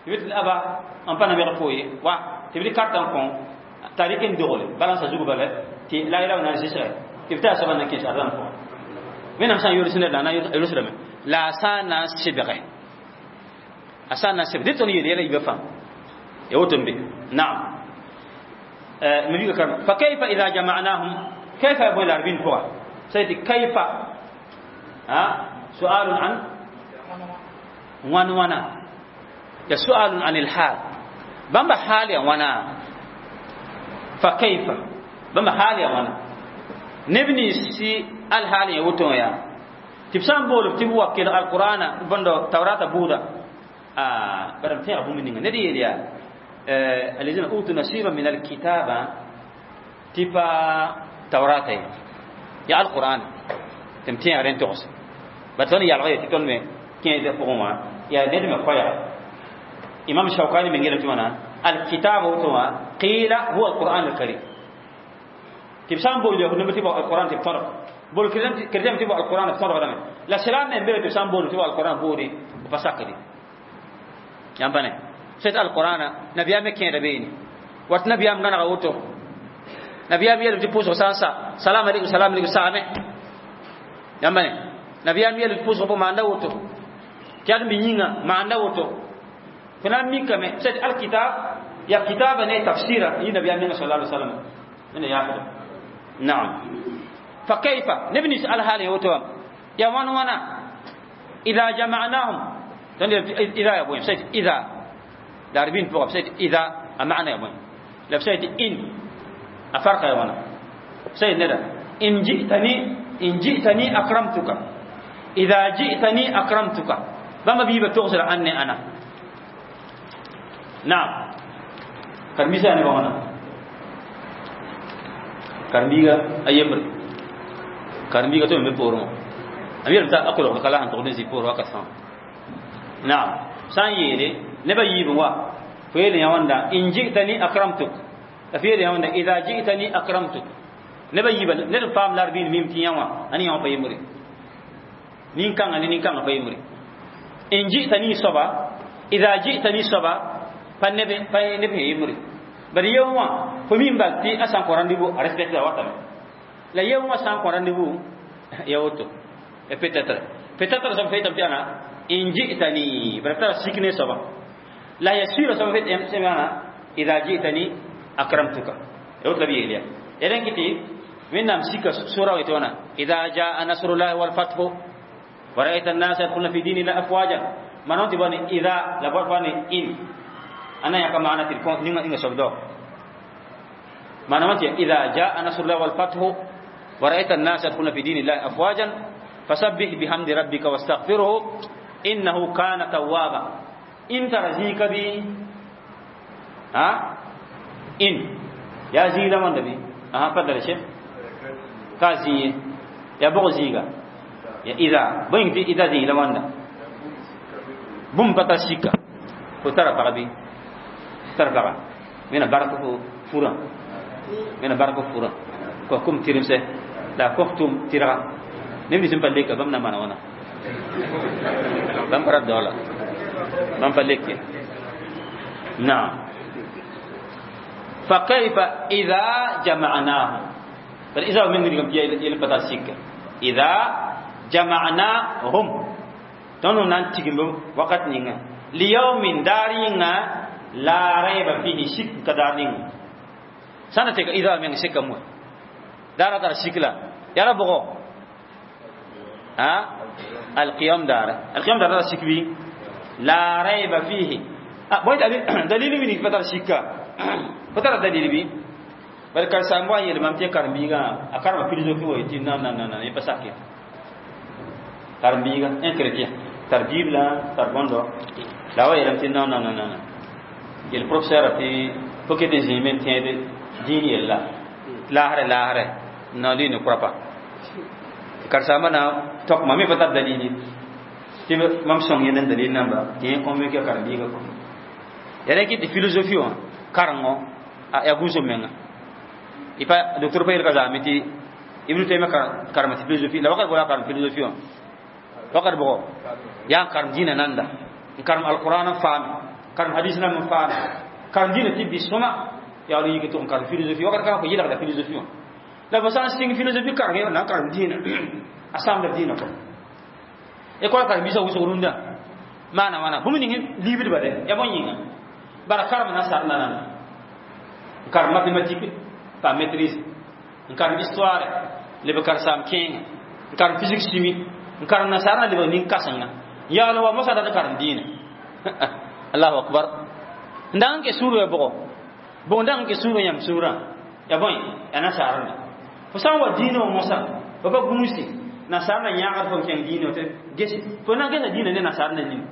tɩ b tɩ aba n pa na fo ye wa tɩ b dɩ karta n kõ t'a rɩk n dogle balansa zug bala tɩ la ilaha na n zɩsga tɩ b taa soaba na n kẽes arzãn pʋgã wẽnnaam sã n yols ned la na yolsdame la a sã n na n sɩbge a sã n na n sɩbg dẽ tõnd yeel yɛla yiibã fãa ya woto n be naam. فكيف إذا جمعناهم؟ كيف يبون العربين فوق سيدي كيف؟ ها؟ سؤال عن وان وانا. يا سؤال عن الحال. بما حال يا وانا. فكيف؟ بما حال يا وانا. نبني سي الحال يا وتو يا. تبسان بول تبوا كل القرآن بندو توراة بودا. برم تيا أبو مني ندي يا. الذين أوتوا نصيبا من الكتابة تبا توراة يا القرآن تمتين أرين تغس بتوني يا الغية تكون مي كين يدفعون ما يا ندم خويا إمام الشوكاني من غير تمانا الكتاب هو قيل هو القرآن الكريم تبسان بول يهود نبي القرآن تبطرق بول كريم تبا القرآن تبطرق ولا لا سلام من بيت تبسان بول تبا القرآن بوري وفساقدي يا سيت القرآن نبي أمي كين ربيني وات نبي أم غنا غوتو نبي أم يلو تبوس وسانسا سلام عليكم سلام عليكم سامي يامبني نبي أم يلو تبوس وبو ماندا وتو كيان بينينا ماندا وتو فنا ميكا سيت الكتاب يا كتاب نه تفسير يي نبي أمي صلى الله عليه وسلم من ياخذ نعم فكيف نبني سأل حالي وتو يا وان وانا إذا جمعناهم إذا يا بوين سيت إذا داربين فوق سيد إذا أمعنا يا بوين لا سيد إن أفرق يا وانا سيد ندى إن جئتني إن جئتني أكرمتك إذا جئتني أكرمتك بما بيبة تغسل عني أنا نعم كرميسا أنا بوانا كرميغا أيمر كرميغا تو من بورو أمير تا أقول لك لا أنت تقول زي بورو أكثر نعم سان يلي نبا يبن وا فيل يا وندا إن جئتني أكرمتك فيل يا وندا إذا جئتني أكرمتك نبا يبن نل فام لاربين ميم تياوا أني يوم فيمري نين كان أني نين كان فيمري إن جئتني صبا إذا جئتني صبا فنبي فنبي يمري بل يوم فمين بالتي أسان قران ديبو أرسبت لا وطن لا يوم أسان قران ديبو يا وتو peut-être peut-être ça fait أنا إن جئتني برتر سكني صبا لا يسير سبب سمعنا إذا جئتني أكرمتك يقول لبي إليا إذن كتي من نمسك سورة ويتونا إذا جاء نصر الله والفتح ورأيت الناس يدخلون في دين الله أفواجا ما نونتي بني إذا لابد بني إن أنا يا كما أنا تلكون نيجا نيجا سبدو ما نونتي إذا جاء نصر الله والفتح ورأيت الناس يدخلون في دين الله أفواجا فسبح بحمد ربك واستغفره إنه كان توابا. إن ترزيك بي ها إن يا زيلا من دبي ها فضل شيخ كازي يا بغزيغا يا إذا بين إذا زيلا من بوم بتاشيكا فترى بغبي ترى بغا من بارك فورا من بارك فورا كوكم تيرمسه لا كوكتم تيرا نمني سمبل لك بمنا ما وانا بم برد دولا بم فلك نعم. فكيف إذا جمعناهم؟ بل إذا من يلبتا سيك إذا جمعناهم تنو نانتيكم وقت نينا ليوم دارينا لا ريب فيه شك كدارين سنتك إذا من شك مو دار دار شكلا يا رب ها القيام دار القيام دار شك بي لا ريب فيه بوي دليل من فتر شكا فتر دليل بي bal kar sambo yel mam te karmbiga a karma philosophie wo ti non non non non pas sakit karmbiga un chrétien tar bible tar bondo la wa yelam ti non non non non yel professeur ti faut que des humains tiennent dini yella lahare lahare non lui ne croit pas kar samba na tok mami fatar dalili ti mam song yenen dalil namba ti convaincu karmbiga ko yare ki philosophie wa karango ya guso menga ipa docteur pa yelka zami ti Ibn Taymiyyah karma philosophie la wakar bola karma philosophie wa wakar bo ya karm dina nanda karm alquran fam karm hadis na mun fam karm dina ti bisoma ya ri yiki to karm philosophie wakar ka ko yila da philosophie wa la basan sing philosophie karm na karm dina asam da dina ko e ko karm bisa wuso runda mana mana bumini libir bade ya bon bara karm na sar na nan karm mathématique pa maîtrise n karem histoire leb karsam kẽenga n karem physique chimie n karem nasaarã lebg nin-kãsenga yaool wa mosã dat n karem dĩinã allahu akbar n dag n ke sũur ya bʋgɔ bʋg n dag n ke sũurã yãmb sũurã ya bõe ya nasaarã fo sã n wa dĩinã wã mosã fo pa gũusi nasaarã yãagd fo n kẽng dĩinã tɩ ges fo na n gesa dĩinã ne nasaarã nin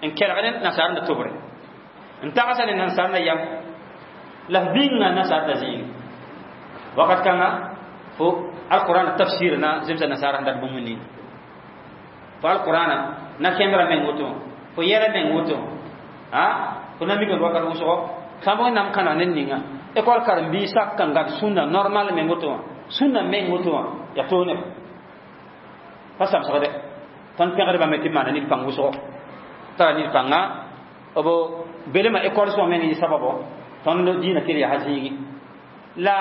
n kelg ne nasaarã tobre n tagsa ne nasaarã yam la f bĩnga nasaarã zĩig wakat kãnga fo alquran tafsir na zemsa nasara dat bũmb ning fo alquran na kẽmbra meng woto fo yɛla meng woto a fo na mikã wakat wʋsgo sã n wẽnnaam kãna ned ninga école karen-biis sak n gad sũnna normal meng woto wã sũnna meng woto wã ya toog neb pa samsgde tõnd pẽgdbame tɩ maana ned pãng wʋsgo tara ned pãnga b belema école sõa meng yɩ sababo tõnd dĩinã kell yaa zĩigi la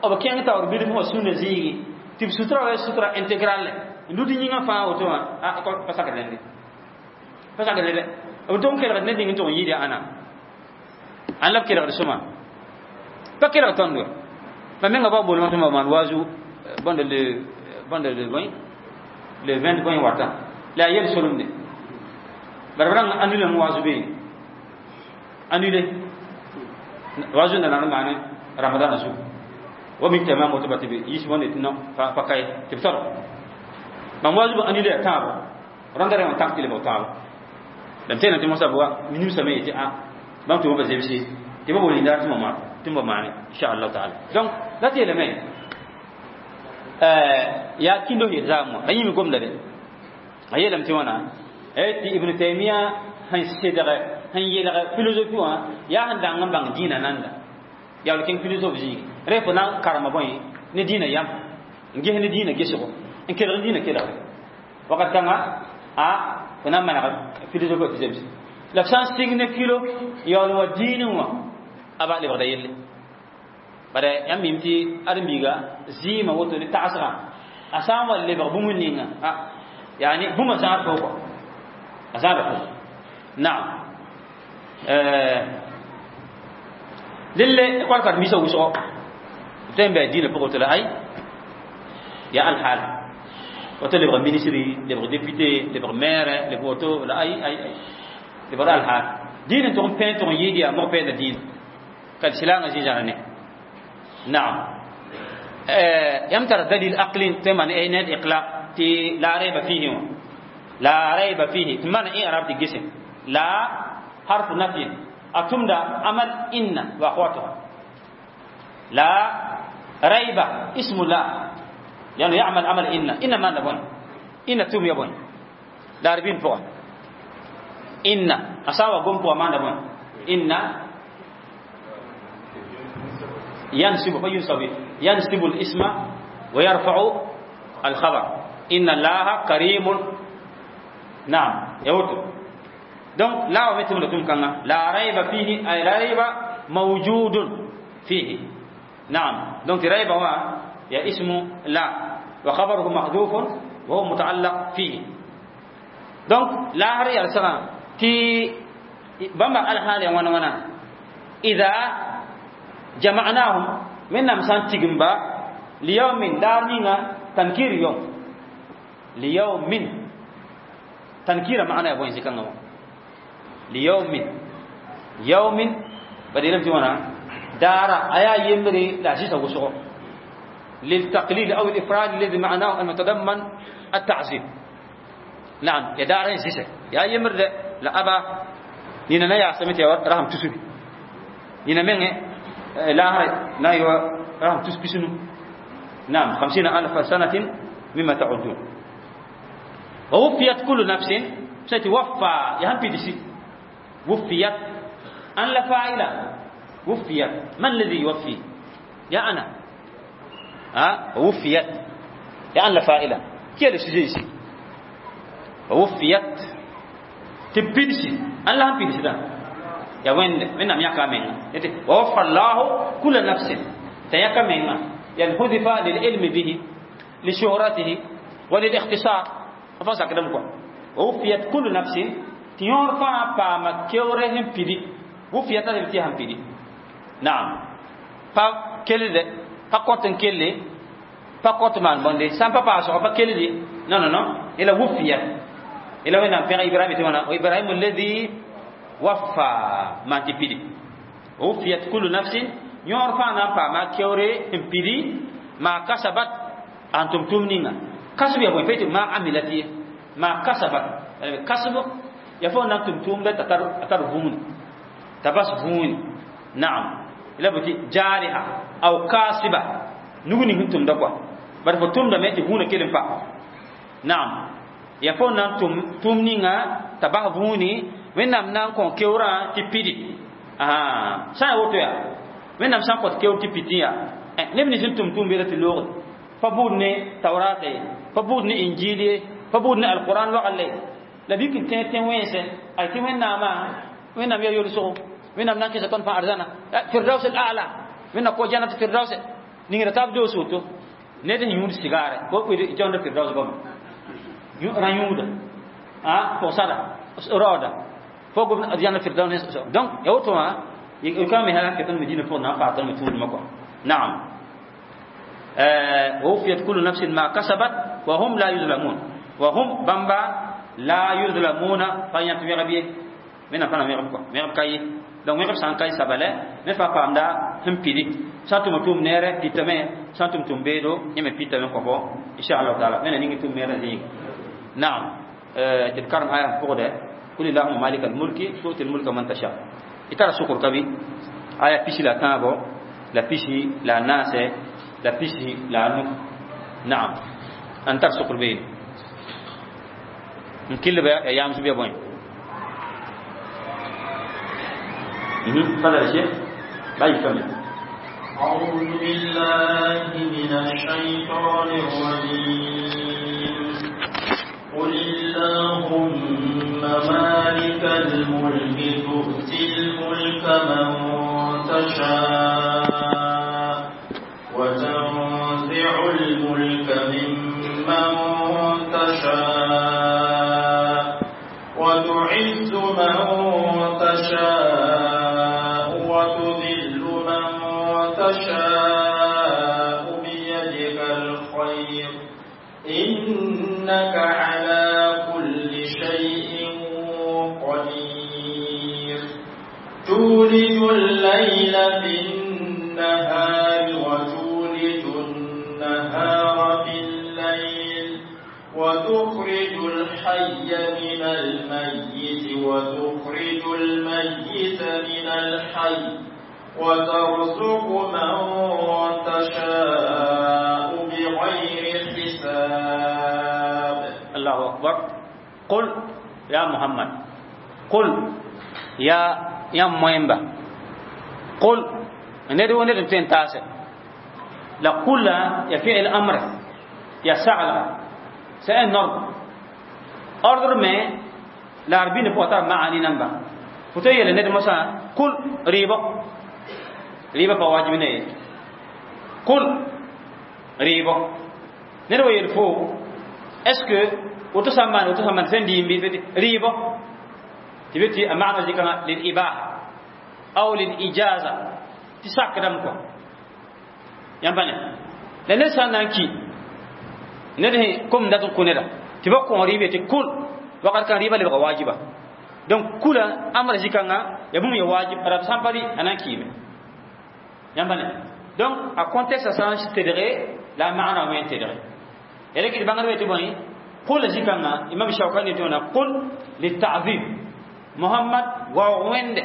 b kẽng taoor bilf wã sũnna zĩigi tɩ b sutra wa sutra intégrale n lud yĩngã fãa woto wã a pa sakd rẽnde pa sakd rẽnde b tʋg n kelgd ned ning n tʋg n yɩɩd ãna ãn la b kelgd sõma pa kelg tõnd ma menga ba bolmã tɩ maan waazu bõnd le bõnd le bõe le 20 bõe wata la a yel solemde bara b rãng annulame waazu bee annulé waazu nda nan maane ramadan zugu wa min tamam woto ba tɩ b yis wãnde tɩ pa kae tɩ b tɔr mam waazu b annulé ya tãabo rãnda rẽ wã tãk tɩ lebg tãabo la m tẽena tɩ mosã bʋa minimsame yetɩ a bãmb tʋma ba zemse tɩ ba bol yĩnda tɩ m maane inchallah taala donc la tɩ yeelame yaa kĩndo yel zaam wã a yĩm gomda de a yeelame tɩ wãna tɩ Ibn Taymiya sẽn sedge sẽn yelg philosophie wã yaa sẽn dang n bãng dĩinã nanda yaa kẽng philosophe zĩigi rẽ fo na n karema bõe ne dĩinã yam n ges ne dĩinã gesgo n kelg dĩinã kelgre wakat kãnga a fo na n maneg philosophe tɩ zemse la f sã n sɩng ne kilo yaool wa dĩinẽ wã a ba lebgda yelle bara yãmb mim tɩ ãdem-biiga zɩɩmã woto ne tagsgã a sã n wa lebg bũmb ninga a yani bũmba zãad fo kɔ a zãada fo naam lelle école karen-biisã wʋsgo b tõe n bɩ dĩinã pʋgẽ tɩ la ay ya alhaal woto lebg ministre lebg député lebg maire lebg woto la ay ay ay lebg alhaal dĩinã tʋg n pẽ tʋg n yɩɩd yaa mog pɛɛnda dĩinã ka silangã zĩ-zãra ne naam yãmb tara dalil aqli tɩ maan ned iqla tɩ la rayba fihi wã la rayba fihi tɩ maan ẽ arab tɩ gese la harfu nafi أتمدا عمل إن وأخواتها لا ريب اسم لا لأنه يعمل عمل إن إن ما نبون إن توم يبون لا ربين فوق إن أساوى قم فوق ما نبون إن ينسب فينسب ينسب الاسم ويرفع الخبر إن الله كريم نعم يوتو donc la wa metum la tum kanga la rayba fihi ay la rayba mawjudun. فيه. نعم، donc ريب هو يا اسم لا وخبره محذوف وهو متعلق فيه. Donc لا هر يرسغا تي بما الحال وانا وانا إذا جمعناهم من نمسان تجنبا ليوم دارنينا تنكير يوم ليوم تنكير معنى يبوين زكاة ليوم يوم بدينا بتوانا دار أيا يمري لا شيء سوى للتقليل أو الإفراد الذي معناه المتضمن التعزيم. نعم، يا دار سيسة يا يمر لا أبا نينا نيا سميت يا رحم تسوي نينا من لا نايوا رحم تسبي سنو. نعم، 50,000 سنة مما تعدون. ووفيت كل نفس ستوفى يهم في دسي وفيت أن لا فاعل وفيت من الذي يوفي؟ يا أنا ها وفيت يا أن لا فاعل كي السجيسي وفيت تبيدسي أن لا هم بيدسي يا وين من نم يكامين ووفى الله كل نفس تيكامين ينحذف للعلم به لشهرته وللاختصار فاسا كدم كو وفيت كل نفس تيور فا با ما كيورهم بيدي وفيت تيهم بيدي. نعم، pa kelede pa koten kelle pa kot man bonde sam papa so pa kelede non non non ila wufiyat ila wena pe Ibrahim te wana Ibrahim alladhi waffa ma ti pidi wufiyat kullu nafsin yor fa na pa ma kewre pidi ma kasabat antum tumninga kasbi ya bon feti ma amilati ma kasabat kasbu ya fo na tum tum da tatar atar vumun tabas vumun. نعم، ila buti jariha aw kasiba nuguni huntum da kwa bar fo tum da meti huna kelem pa. Naam, ya fo nan tum tumninga tabah vuni wennam nan kon kewra ti pidi aha sa woto ya wennam san kot kew ti pitiya nebni sin tum tum be ti log fa budne tawrate fa budne injili fa budne alquran wa alle la bi kin ten ten wense ay ti wennama wennam ya yolu so wennam nan kisa ton fa arzana firdaus al a'la wenna ko jannat firdaus ningira tab do soto neden yud sigare ko ko jonda firdaus bam ra yuda ah ko sada roda fogo jannat firdaus donc ya woto ma يكمل هذا كتن مدينة فوق نافع تن متون مكة. نعم، ووفيت كل نفس ما كسبت وهم لا يظلمون وهم بامبا لا يظلمون فين تمي من فانا مي رب مي رب كاي donc مي رب سان كاي سبله مي فا پامدا هم بيدي سانتم توم نيره بيتمه سانتم توم بيدو يمه بيتمه كوبو ان شاء الله تعالى من نيغي توم ميره زي. نعم، تذكرم آية فوق ده قل اللهم مالك الملك تؤتي الملك من تشاء itara sukur kabi aya pisi la tabo la pisi la nase la pisi la nu. نعم، antar sukur be nkille ba ya yam su be boy. تفضل يا شيخ باي كمل. أعوذ بالله من الشيطان الرجيم. قل اللهم مالك الملك تؤتي الملك من تشاء وتنزع الملك ممن تشاء وتعز من تشاء وتذل من تشاء بيدك الخير إنك على كل شيء قدير. تولج الليل في النهار وتولج النهار في الليل وتخرج الحي من الميت وتخرج الميت من الحي وترزق من تشاء بغير حساب. الله أكبر. قل يا محمد، قل يا مويمبا، قل ندعو ندعو تنتاسه لا قل يا فعل أمر يا سعل سأل نرد أردر ما العربين بوتر معاني نمبا فتيل ندعو مثلا قل ريبا Rɩɩbã pa wajib ne kul rɩɩbɔ ned wa yel fo est ce que woto sã n maan woto sã n maan sẽn dɩɩm bɩ rɩɩbɔ tɩ be tɩ a maana zikãngã lil ibaha aw lil ijaza tɩ sakdame kɔ yãmb pa ne la ned sã n na n ki ned sẽn kom dat n kõ neda tɩ ba kõ rɩɩb tɩ kul wakat kãng rɩɩbã lebga wajiba. Donc kula amra zikãngã ya bũmb ya wajib rab sã n pa rɩ a na n kiime yãmb pa ne. Donc a contexte sã n tedge la a maana me n tedge ya rɩk tɩ bãngdbã tɩ bõe qul zikãngã imam Shaukani tɩ wãna qul litazim Muhammad waoog wẽnde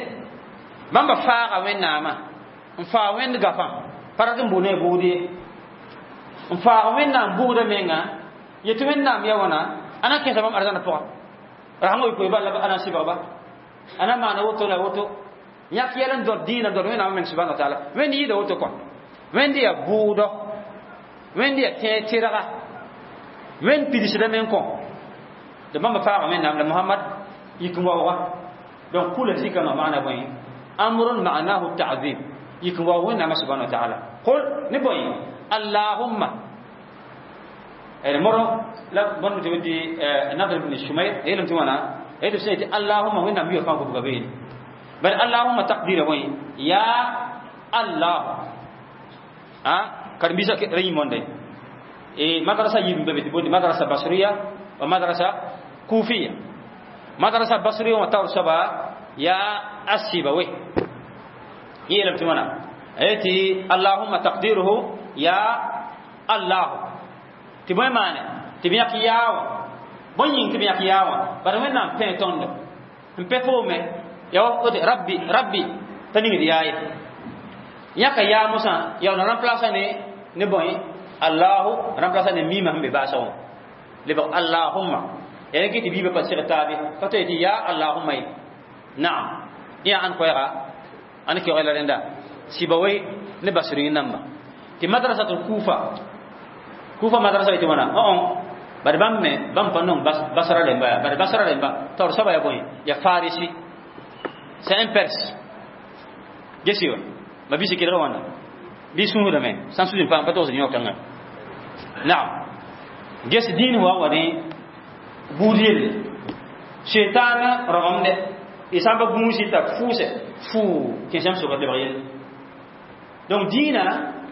bãmba faaga wẽnnaamã n faa wẽnd gafã pa rat n bʋ ne bʋʋd ye n faag wẽnnaam bʋʋda menga yetɩ wẽnnaam ya wãna a na kẽesa bãmb arzãna pʋga rasẽngã wɩ koe la a na n sɩbgba a na maana woto la woto yãk yɛl n dõd dĩinã dõd wẽnnaamã meng subhana wa taala wẽnd yɩɩda woto kɔa wẽnd yaa bʋʋdɔ wẽnd yaa tẽeg tɩrga wẽnd pidsdame n kõ tɩ bãmba faaga wẽnnaam la Muhammad yik n waooga. Donc kula zikãngã maana bõe amrun ma'nahu ta'zim yik n waoog wẽnnaamã subhana wa taala qul ne bõe allahumma moro la bõnd tɩ tɩ Nadr ibn Shumayr yeelame tɩ wãna tɩ sã tɩ allahumma wẽnnaam yʋa fãa gobga beene bal allahumma taqdira bõe ya Allah a karen-biisã ra yĩm wãnda e madrasa yib be tɩ bondi madrasa basriya wa madrasa kufiya. Madrasa basriya wã taoor soaba yaa asibawe yeelame tɩ wãna tɩ allahumma taqdiruhu ya Allah tɩ bõe maane tɩ b yãk yaa wã bõe yĩng tɩ b yãk yaa wã bara wẽnnaam pẽ tõndo n pẽ foome ya wote rabbi rabbi t'a ningd yaa ye yãka yaa mosã yaa na remplacer ne bõe Allahu remplacer ne mima sẽn be baasã wã lebg allahumma ya rẽ tɩ biibã pa seg taabe pa to tɩ ya allahumma ye naam yã ãn koɛɛga ãn keoogã la rẽnda Sibawai ne basri namba tɩ madrasatul Kufa Kufa madrasa tɩ wãna bari bãmb me bãmb pa nong basra rẽmba yaa bari basra rẽmba taoor soaba yaa bõe ya farisi, c'est un Perse gesi wa ma bisi kelga wãnda bɩ sũudame sã n sũud n paam pa togs yõ kãnga naam ges dĩin wa wa ne buud yelle shetana rogemde y sã n pa gũusi t'a fʋʋse fʋʋ kẽesam sʋka lebg yelle. Donc dĩinã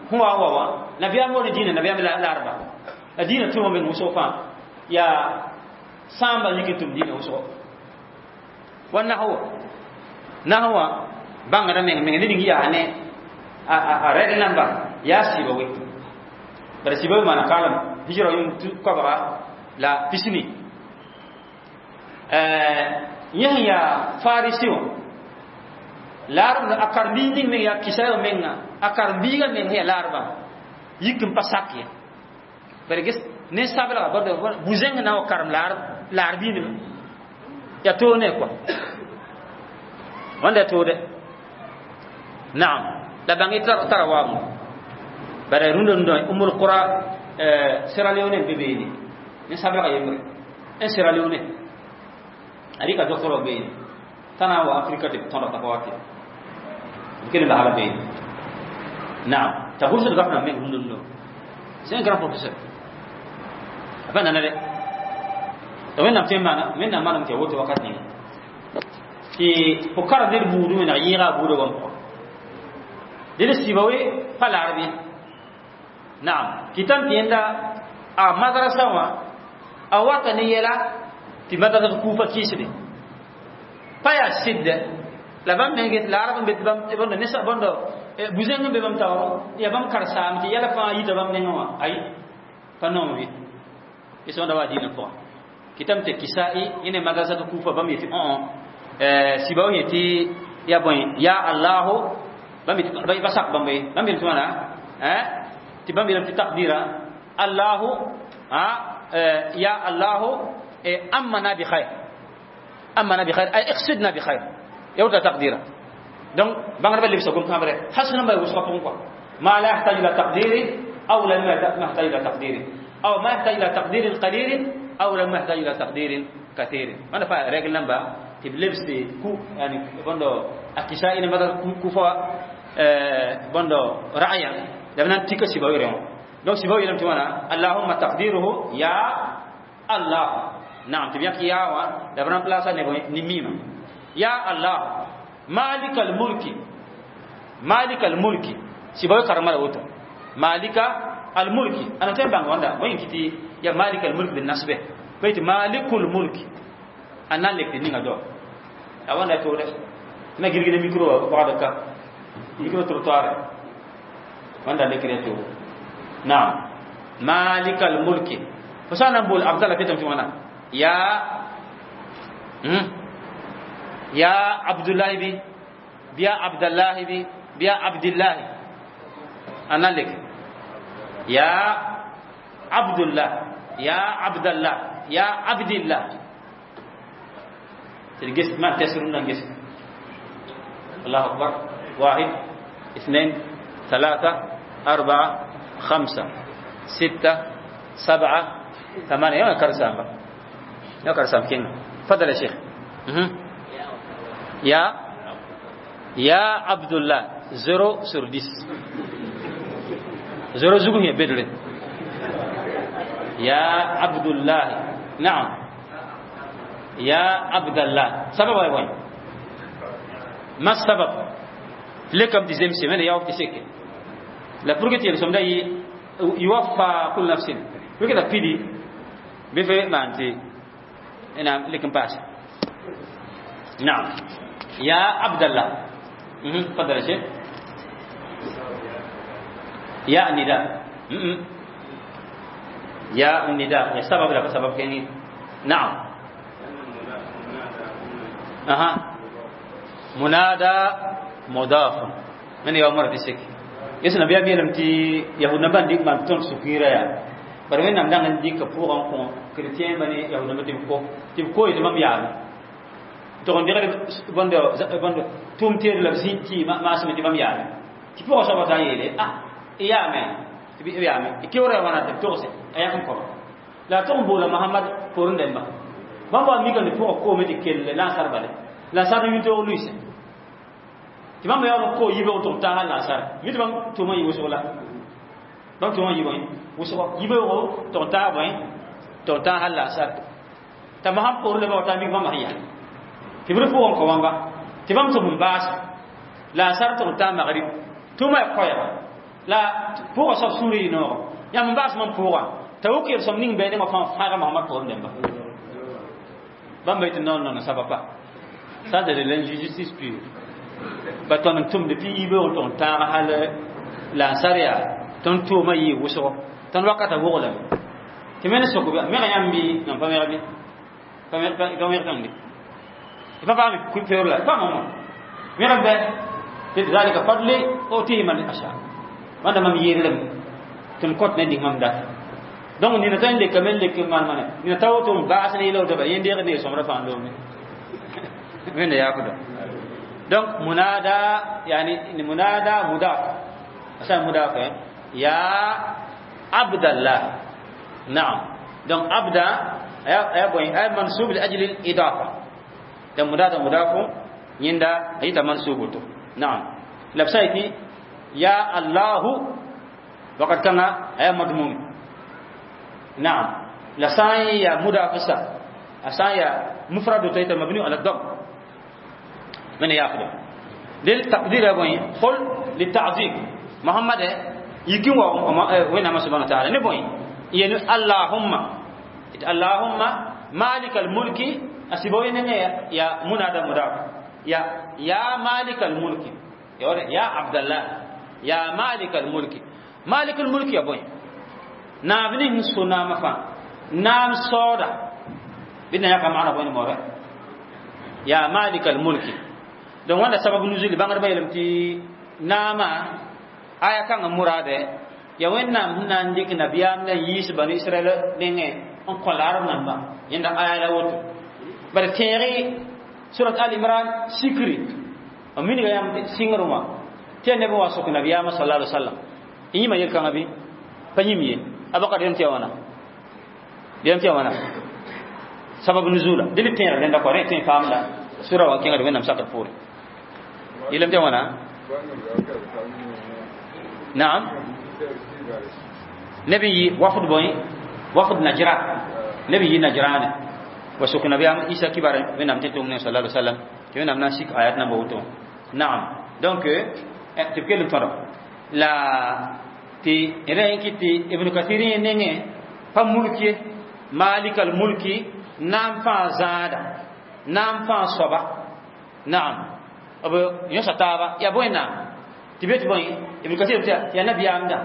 sẽn wa wa wã nabiyaam wa ne dĩinã nabiyaam la arba la dĩinã tʋm meng wʋsg fãa yaa sãamba yik n tʋm dĩinã wʋsgo wa nahwa nahwa bãngda meng meng ned yaa ne a rɛd namba yaa sɩba we bara sɩba we maana kaalem hijra yʋm koabga la pisni yẽ sẽn yaa farisi wã laarb a karen-biis ning meng yaa kisa menga a karen-biigã meng sẽn yaa laarbã yik n pa sak ye bara ges ne sablga bu-zẽng na n wa karem laar biindmã yaa toog ne kɔa wãnda yaa toode naam la bãng y tara waoongo bara rũndã rũndã Umul Qura Sierra Leone n be beene ne sablga yembre n Sierra Leone a rɩka docteur wa beene t'a na n wa Afrika tɩ b tõdg t'a pa wa tɩ b kell n basla beene naam t'a gʋlsd gafrã meng rũndã rũndã c'est un grand professeur a pa nana dɛ t'a wẽnnaam tõe n maana wẽnnaam maanam tɩ ya woto wakat ninga tɩ fo karem ned buudẽ wẽneg yẽega a buudã wam pʋga dẽd sɩba we pa laarb ye naam kɩtame tɩ yẽnda a madrasa wã a wata ne yɛla tɩ madrasa Kufa kɩɩsde pa yaa sɩdde la bãmb meng get laarb n be tɩ bãmb nesa bõndo bu-zẽng n be bãmb taooro yaa bãmb karen-saam tɩ yɛla fãa yita bãmb nengẽ wã ay pa noom ye ges wãnda wa dĩinã pʋga kɩtame tɩ Kisa'i yẽ ne madrasa tɩ Kufa bãmb yetɩ sɩba wã yetɩ yaa bõe ya Allahu bãmb yetɩ ba sak bãmb ye bãmb yel tɩ wãna tɩ bãmb yeelame tɩ taqdira Allahu ya Allahu amana bi khair amana bi khair ay iqsidna bi khair ya wota taqdira. Donc bãngdbã lebsa gom-kãbre hasẽn n ba wʋsgã pʋgẽ kɔa ma la yahtaju ila taqdiri aw la ma yahtaju ila taqdiri aw ma yahtaju ila taqdirin qalilin aw la ma yahtaju ila taqdirin kathirin wãnda pa règle namba tɩ b lebsde ku yani bõndo a kisa ina mada Kufa Bõndo ra'ya la b na n tika sɩba wɩrẽ wã. Donc sɩba yeelame tɩ wãna allahumma taqdiruhu ya Allah. Naam, tɩ b yãk yaa wã la b remplace ne bõe ne mima. Ya Allah malika almulki, malika almulki, sɩba wɩ karema la woto malika almulki ana tõe n bãng wãnda bõe n kɩtɩ ya malika almulk bi nasbe bõe tɩ malikul mulki a na n lek tɩ ninga dao a wãnda toore tɩ na gilg ne micro wã pagd ka micro trottoir wãnda lekr ya toogo. Naam, malika almulki fo sã n na n bool abdalla petame tɩ wãna ya ya abdullahi bi biya abdallahi bi biya abdillahi a na n lek ya abdullah ya abdallah ya abdillah تلقيس ما تسرون نقص. الله أكبر. 1 2 3 4 5 6 7 8. يا كرسام يا كرسام كين. تفضل يا شيخ. يا يا عبد الله 0 sur 10. 0 زوجه يا بدر. يا عبد الله. نعم يا عبد الله. سبب وين؟ ما السبب؟ لكم ديزيم سيمين يا وقت سيك لا برجت يلسم ده يوفى كل نفس وكذا بيدي بفي ما أنت أنا لكم باس. نعم يا عبد الله. تفضل يا شيخ. يا النداء. يا النداء يا سبب لا سبب كني. نعم. أها منادى مضاف من يوم مرة تسك يسنا بيا بيا لم تي يهود نبان ديك ما تون سكيرة يا برمين نام دعنا ديك كفوران كون كريتيان بني يهود نبان تيم كو تيم كو يتمام يا تون ديك بند بند توم تير لبسين تي ما ما اسمه تمام يا تي فوق سبعة تايلة آه يا مين تبي يا مين كيورا وانا تبي توسي أياكم كم لا تون بولا محمد فورن دمبا bãmb wa mikame tɩ pʋgã koome tɩ kell lansar bale lansar yũ toog luɩse tɩ bãmb yaool ko yibeoog tɩ b taag lansar mi tɩ bãmb tʋʋmã yɩ wʋsg la bãmb tʋʋmã yɩ bõe wʋsgo yibeoogo tɩ b taag bõe tɩ b taag lansar t'a masãn poor la ba ta mik bãmb sẽn yaa tɩ b rɩ pʋgẽ kõ wãnga tɩ bãmb tʋm n baasa lansar tɩ b taag magrib tʋʋmã ya koɛɛga la pʋgã soab sũurã yɩ noogo yãmb n baas mam pʋgã t'a wʋk yel-sõm ning bɩ nengã fãa fãaga Mohamad poorẽ dẽmba. Bamba ite non non ça va pas. Ça c'est de l'injustice pure. Ba ton tum depuis ibe on ton hal la saria ton to ma yi wuso ton wakata wogla. Ti men soko me yambi non pa me pa me pa me pa me pa pa me ku peor la pa mama. Me rabbe zalika fadli utihi man asha. Wanda mam yerlem tum kot ne dik mam dat. Donc nina tan le kamel le man man nina taw to baas ne lo to ba yende ne somra fa ndo me men ya ko donc munada yani munada mudaf asa mudaf ya abdallah. Naam donc abda ya boy ay mansub li ajli al idafa donc munada mudaf yinda ayita mansubu to. Naam labsaiti ya allah waqad kana ay madmum. نعم لسان يا مدافسة أسان يا مفرد تيتا مبني على الضم من يأخذ للتقدير يا بني قل للتعظيم محمد يكون وين ما سبحانه وتعالى نبوي يعني اللهم اللهم مالك الملك أسيبوين يا منادى مضاف يا يا مالك الملك يا عبد الله يا مالك الملك مالك الملك يا بني naam ning so naama fãa naam saooda bɩ na yãka maana bõe ne moora ya malik almulki. Donc wãnda sabab nuzuli bãngdbã yeelame tɩ naama aya kãngã muraade ya wẽnnaam sẽn na n dɩk nabiyaam la n yiis banu israɛl nengẽ n kõ laarb namba yẽnda aya la woto bare tẽeg surat al imran sikri n minga yãmb sɩngr wã tɩ ya neb n wa sok nabiyaamã sala alai wasallam y yĩma yel-kãngã bɩ pa yĩm ye abakar dem ti wana dem ti wana sabab nuzula dili tin renda ko re tin famla sura wa kinga dem nam sakar pour ilam ti wana Naam, nabi yi wafd boy wafd Najran, nabi yi Najran wa suk nabiyam Isa kibar wẽnnaam tɩ tʋm ne sallallahu alaihi wasallam tɩ wẽnnaam na n sik ayat namba woto. Naam, donc tɩ b kell n tõdg la tɩ rẽ n kɩt tɩ Ibn Kathir yẽ nengẽ pa mulk ye malikal mulki naam fãa zãada naam fãa soaba. Naam, b yõsa taaba yaa bõe naam tɩ be tɩ bõe Ibn Kathir tɩ yaa nabiyaamda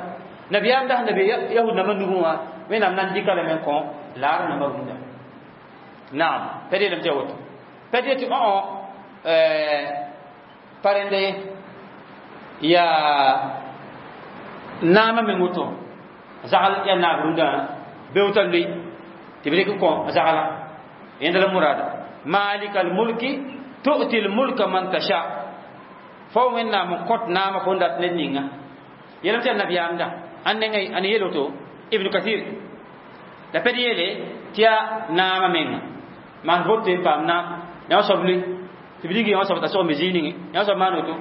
nabiyaamda sẽn da be yahud nambã nugẽ wã wẽnnaam na n dɩka lame n kõ laar nambã rũndã. Naam, pa yeelame tɩ yaa woto pa tɩ tɩ õ pa rẽnda ye yaa naamã meng woto zagl yaa naab rũndã beoota loe tɩ b rɩk n kõ zagla yẽnda la murada malikal mulki tu'ti l mulka man tasha fo wẽnnaam n kõt naamã fo n dat ned ninga yeelame tɩ yaa nabiyaamda ãn nengẽ ãn yeel woto Ibn Kathir la pɛd yeele tɩ yaa naamã menga maan vote n paam naam yã soab loe tɩ b rig yã soab t'a sog me zĩig ninge yã soab maan woto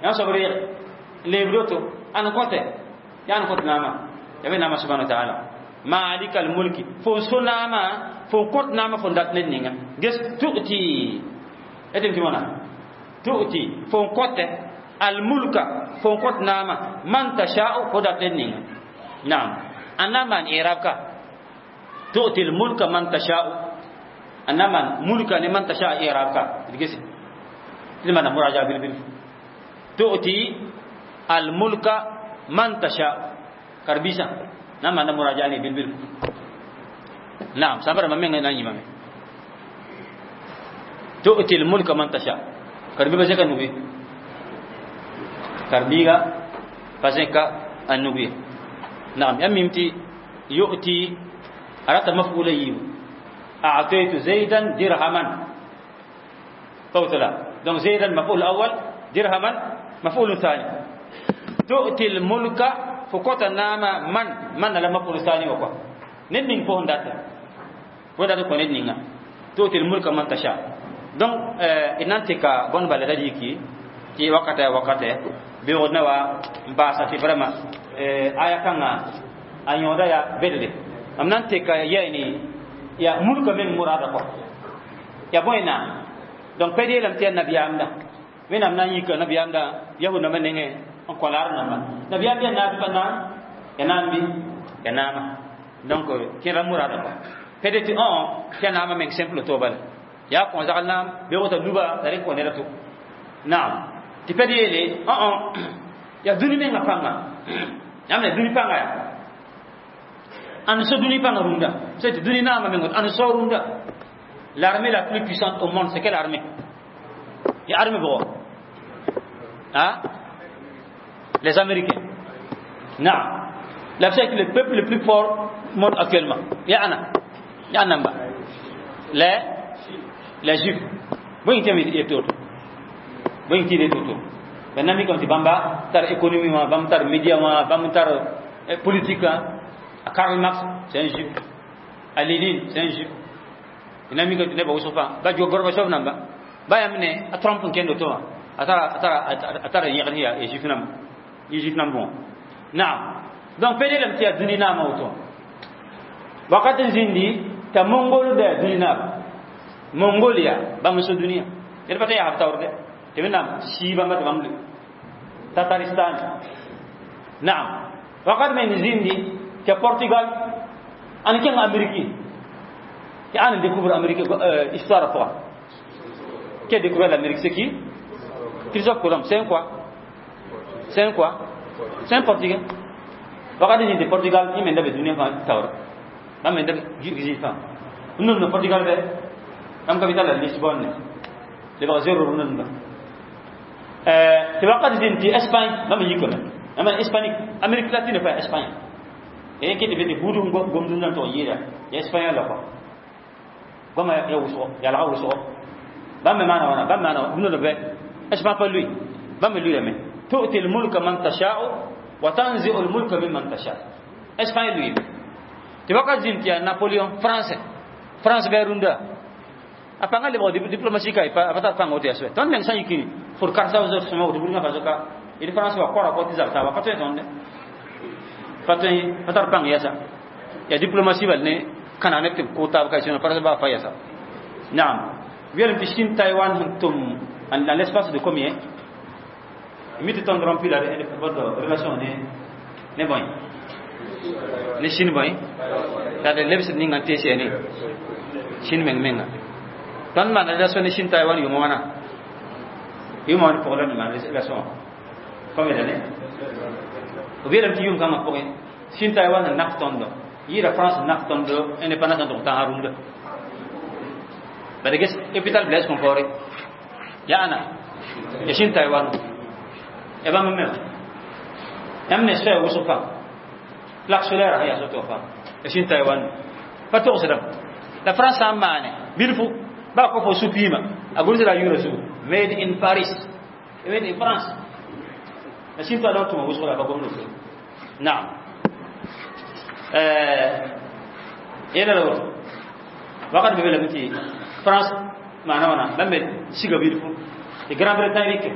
yã soab reeg n leebd woto ãn kõte yaa n kõt naamã ya wẽnnaamã subhana wa taala malikal mulki fo so naamã fo n kõt naamã fo n dat ned ninga ges tu'ti etem tɩ wãna tu'ti fo n kõte al mulka fo n kõt naamã man tasha'u fo dat ned ninga. Naam, ãn na n maan i'rab ka tu'ti al mulka man tasha'u ãn na maan mulka ne man tasha'a i'rab ka d gese tɩ d maana muraja bil-bil tu'ti al mulka man tasha'u karbisa na maana muraja ne bil-bil. Naam, sãmb rãmbã menga na n yĩmame tu'ti al mulka man tasha karbi ba zẽka nuge karbiiga pa zẽka a nug ye. Naam, yaa mim tɩ yu'ti a rata maf'ula yiibu a'taytu zaydan dirhaman fawtala. Donc zaydan maf'ul awwal, dirhaman maf'ul thani. Tu'ti al mulka fo kota naama man man la maf'ul thani wa quoi ned ning fo n data kõ ned ninga tu'ti al mulka man tasha. Donc d na n tɩka bõn bala da yiki tɩ wakata wakate beoogd na wa n baasa tɩ vraiment aya kãngã a yõoda yaa bedre mam na n tɩka yɛɛne yaa mulka meng murada kɔ yaa bõe naam. Donc pɛd yeelame tɩ yaa nabiyaamda wẽnnaam na n yika nabiyaamda yahud nambã nengẽ n kõ laar namba nabiyaam yaa naab pa naam yaa naam bɩ yaa naama. Donc kẽra murada kɔ pɛd tɩ õ tɩ yaa naamã meng simple to bala yaa kõ zagl naam beoog t'a luba la rẽ kõ neda to. Naam, tɩ pɛd yeele õ yaa dũni menga pãnga yãmb ne dũni pãnga yaa ãn so dũni pãnga rũndã sã tɩ dũni naamã meng ãn so rũndã. L'armée la plus puissante au monde, c'est quelle armée? Ya armée bʋgɔ hein? Les Américains. Naam, la c'est le peuple le plus fort au monde actuellement ya ana ya namba les Juifs. Bõe tɩ yet woto bõe tɩ yet woto maintenant mi kam tɩ bãmba tar économie wã bãmb tar média wã bãmb tar politique. A Karl Marx, c'est un juif. A Lénine, c'est un juif. Ina mi kam tɩ nebã wʋsg fãa ba Gorbachev namba ba yãmb ne a Trump n kẽnd woto wã a tara yẽgd yaa juif namba yɩ juif namb wã. Naam, donc pe yeelame tɩ yaa dũni naamã woto wakat n zĩndi t'a mongol da dũni naaba Mongolia bãmb n so dũniyã ned pa t'a yaa b taoor dɛ tɩ wẽnnaam sii bãmba tɩ bãmb loe Tataristan. Naam, wakat me n zĩndi tɩ Portugal ãn kẽng Amérique tɩ ãn n découvre Amérique histoire pʋga. Qui a découvert l'Amérique? C'est qui? Christophe Colomb. C'est un quoi? C'est un quoi? C'est un Portugais. Wakat n zĩndi Portugal yẽ me da be dũniyã fãa taoora bãmb me da zĩig fãa n nomd Portugal bɛ bãmb capitale la Lisbonne lebg zero rũndã tɩ wakat zĩnd tɩ Espagne bãmb n yikame bãmb hispanique Amérique latine fa Espagne e kɩ tɩ be tɩ buud gomd rũndã n tʋg n yɩɩda ya espagnol la kɔ goama ya wʋsgo yalga wʋsgo bãmb me maana wãna bãmb maana rũndã bɛ Espagne pa lʋɩ bãmb me lʋɩrame tu'ti l-mulka man tasha'u wa tanzi'u l-mulka mimman tasha. Espagne lʋɩme tɩ wakat zĩnd tɩ yaa Napoléon français France bɩ rũndã a pãngã lebg diplomatie ka a pa tar pãng woto yaa soɛ tõnd meng sã n yiki fʋd karsa sõma woto burgã fa zoka Il France wa kora ko tizab ta wa pato tonde pato patar pang yasa ya diplomatie bal ne kana ne tɩ ko taab ka sẽn pa ba fa yasa. Naam, weelem tɩ Chine Taïwan sẽn tʋm dans l'espace de combien mi tɩ tõnd rompi la relation ne bõe ne Chine bõe la d lebsd ninga n tees ne Chine meng menga tõnd maan relation ne Chine Taïwan yʋʋma wãna yʋʋma wãn pʋgã la maan relation combien d'années b yeelame tɩ yʋʋm kãngã pʋgẽ Chine Taïwan sẽn nak tõndo yɩɩda France nak tõndo indépendance n tʋg tãnsã rũndã bala ges hôpital Blaise Compaoré ya ana ya Chine Taïwan ya bãmb me yãmb ne soɛɛ wʋsg pam plaque solaire ya soto pam ya Chine Taïwan pa togsdame la France sã n maane bilfu baa ko fo supima a gʋlsda a yʋʋra zugu made in Paris, made in France la Chine Taïwan tʋma wʋsg la pa gomd so. Naam, yɛla la woto wakat be lame tɩ France maana wãna bãmb me siga bilfu tɩ Grande-Bretagne rɩke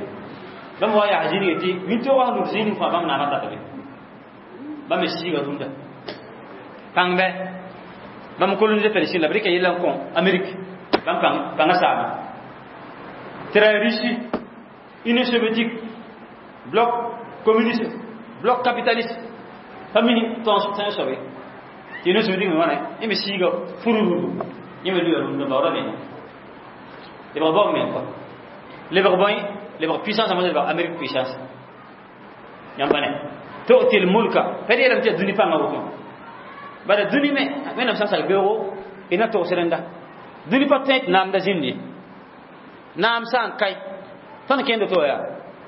bãmb wa yaa zĩnige tɩ wĩntoog sẽn lud zĩig fãa bãmb naamã tata be bãmb me siiga rũndã pãng bɛ bãmb coloniser Palestine la b rɩka yella n kõ Amérique bãmb pãngã saama tɩ ra Russie, Union soviétique, bloc communiste, bloc capitaliste pa mini tõns tẽn soabe tɩ Union soviétique me wãna yẽ me siiga furururu yẽ me luya rũndã baoora me lebg baoog me kɔa lebg bõe lebg puissance a lebg Amérique puissance yãmba ne tu'ti l-mulka pa d yeelame tɩ yaa dũni pãngã woto bala dũni me wẽnnaam sã n sak beoogo d na togs rẽnda dũni pa tõe tɩ naamda zĩnd ye naam sã n kae tõnd kẽnd to yaa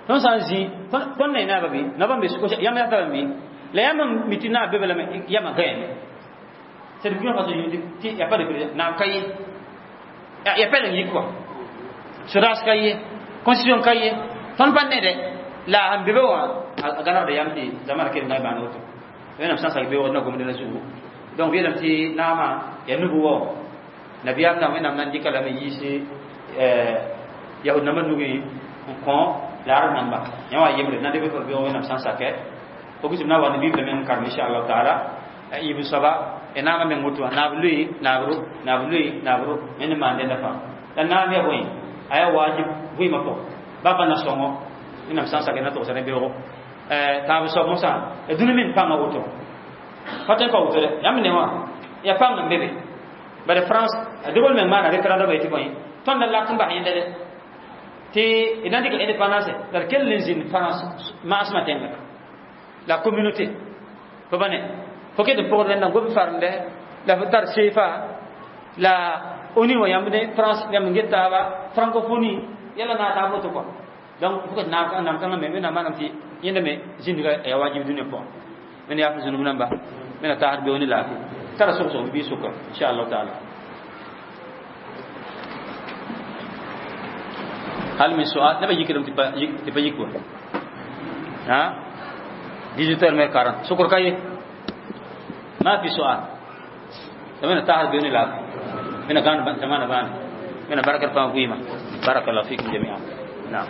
tõnd sã n zĩ tõnd ne naaba bɩ naba n be yãmb yaa taba mi la yãmb n mi tɩ naab be bala yãmã gãyame. C'est Burkina Faso tɩ y a pas de président naam ka ye ya pɛleng yik kɔa sodaas ka ye constitution ka ye tõnd pa nede la sẽn be be wã a gãnegda yam tɩ zamana kell na y maan woto wẽnnaam sã n sak beoog na gomd la zugu. Donc yeelame tɩ naamã yaa nubu wao nabiyaam na wẽnnaam na n dɩka lame yiis yahud nambã nugẽ n kõ la arab namba yã wa yembre na deb beoog wẽnnaam sã n sakɛ fo na wa ne bible meng n karem inchallahu taala yib soaba ya naamã meng woto wã naab loe naabro naab loe naabro wẽnd maan dẽnda fãa la naam yaa bõe a yaa wajib vɩɩmã pʋgẽ ba pa na sõngo wẽnnaam sã n sak na togsa ne beoogo tãab soab mosã ya dũni men pãngã woto pa tõe n pa woto dɛ yãmb ne wã ya pãng n be be bala France de Gaulle meng maana référendum tɩ bõe tõnd la lak n bas yẽnda dɛ tɩ d na n dɩka indépendance la d kell n zĩnd France maasmã tẽnga la communauté fo ba ne fo ket n pʋgd rẽnda n gom farende la fo tar CFA la ONU wã yãmb ne France yãmb n get taaba francophonie yɛla na taab woto kɔa. Donc fo ket naam kãngã me wẽnnaam maanam tɩ yẽnda me zĩndga ya wajib dũniyã pʋgẽ wẽnd yaa f zũnub namba wẽnna taasd beoog ne laafɩ tara sog-sog bɩ sʋka inchallah taala. Hal min su'al neba yikdame tɩ pa yik wa ha 18 heures moins 40 sukr ka ye ma fi su'al wẽnna taasd beoog ne laafɩ wẽnna gãnd zamana bãane wẽnna barkr pãng vɩɩmã. Barakallahu fikum jami'an. Naam.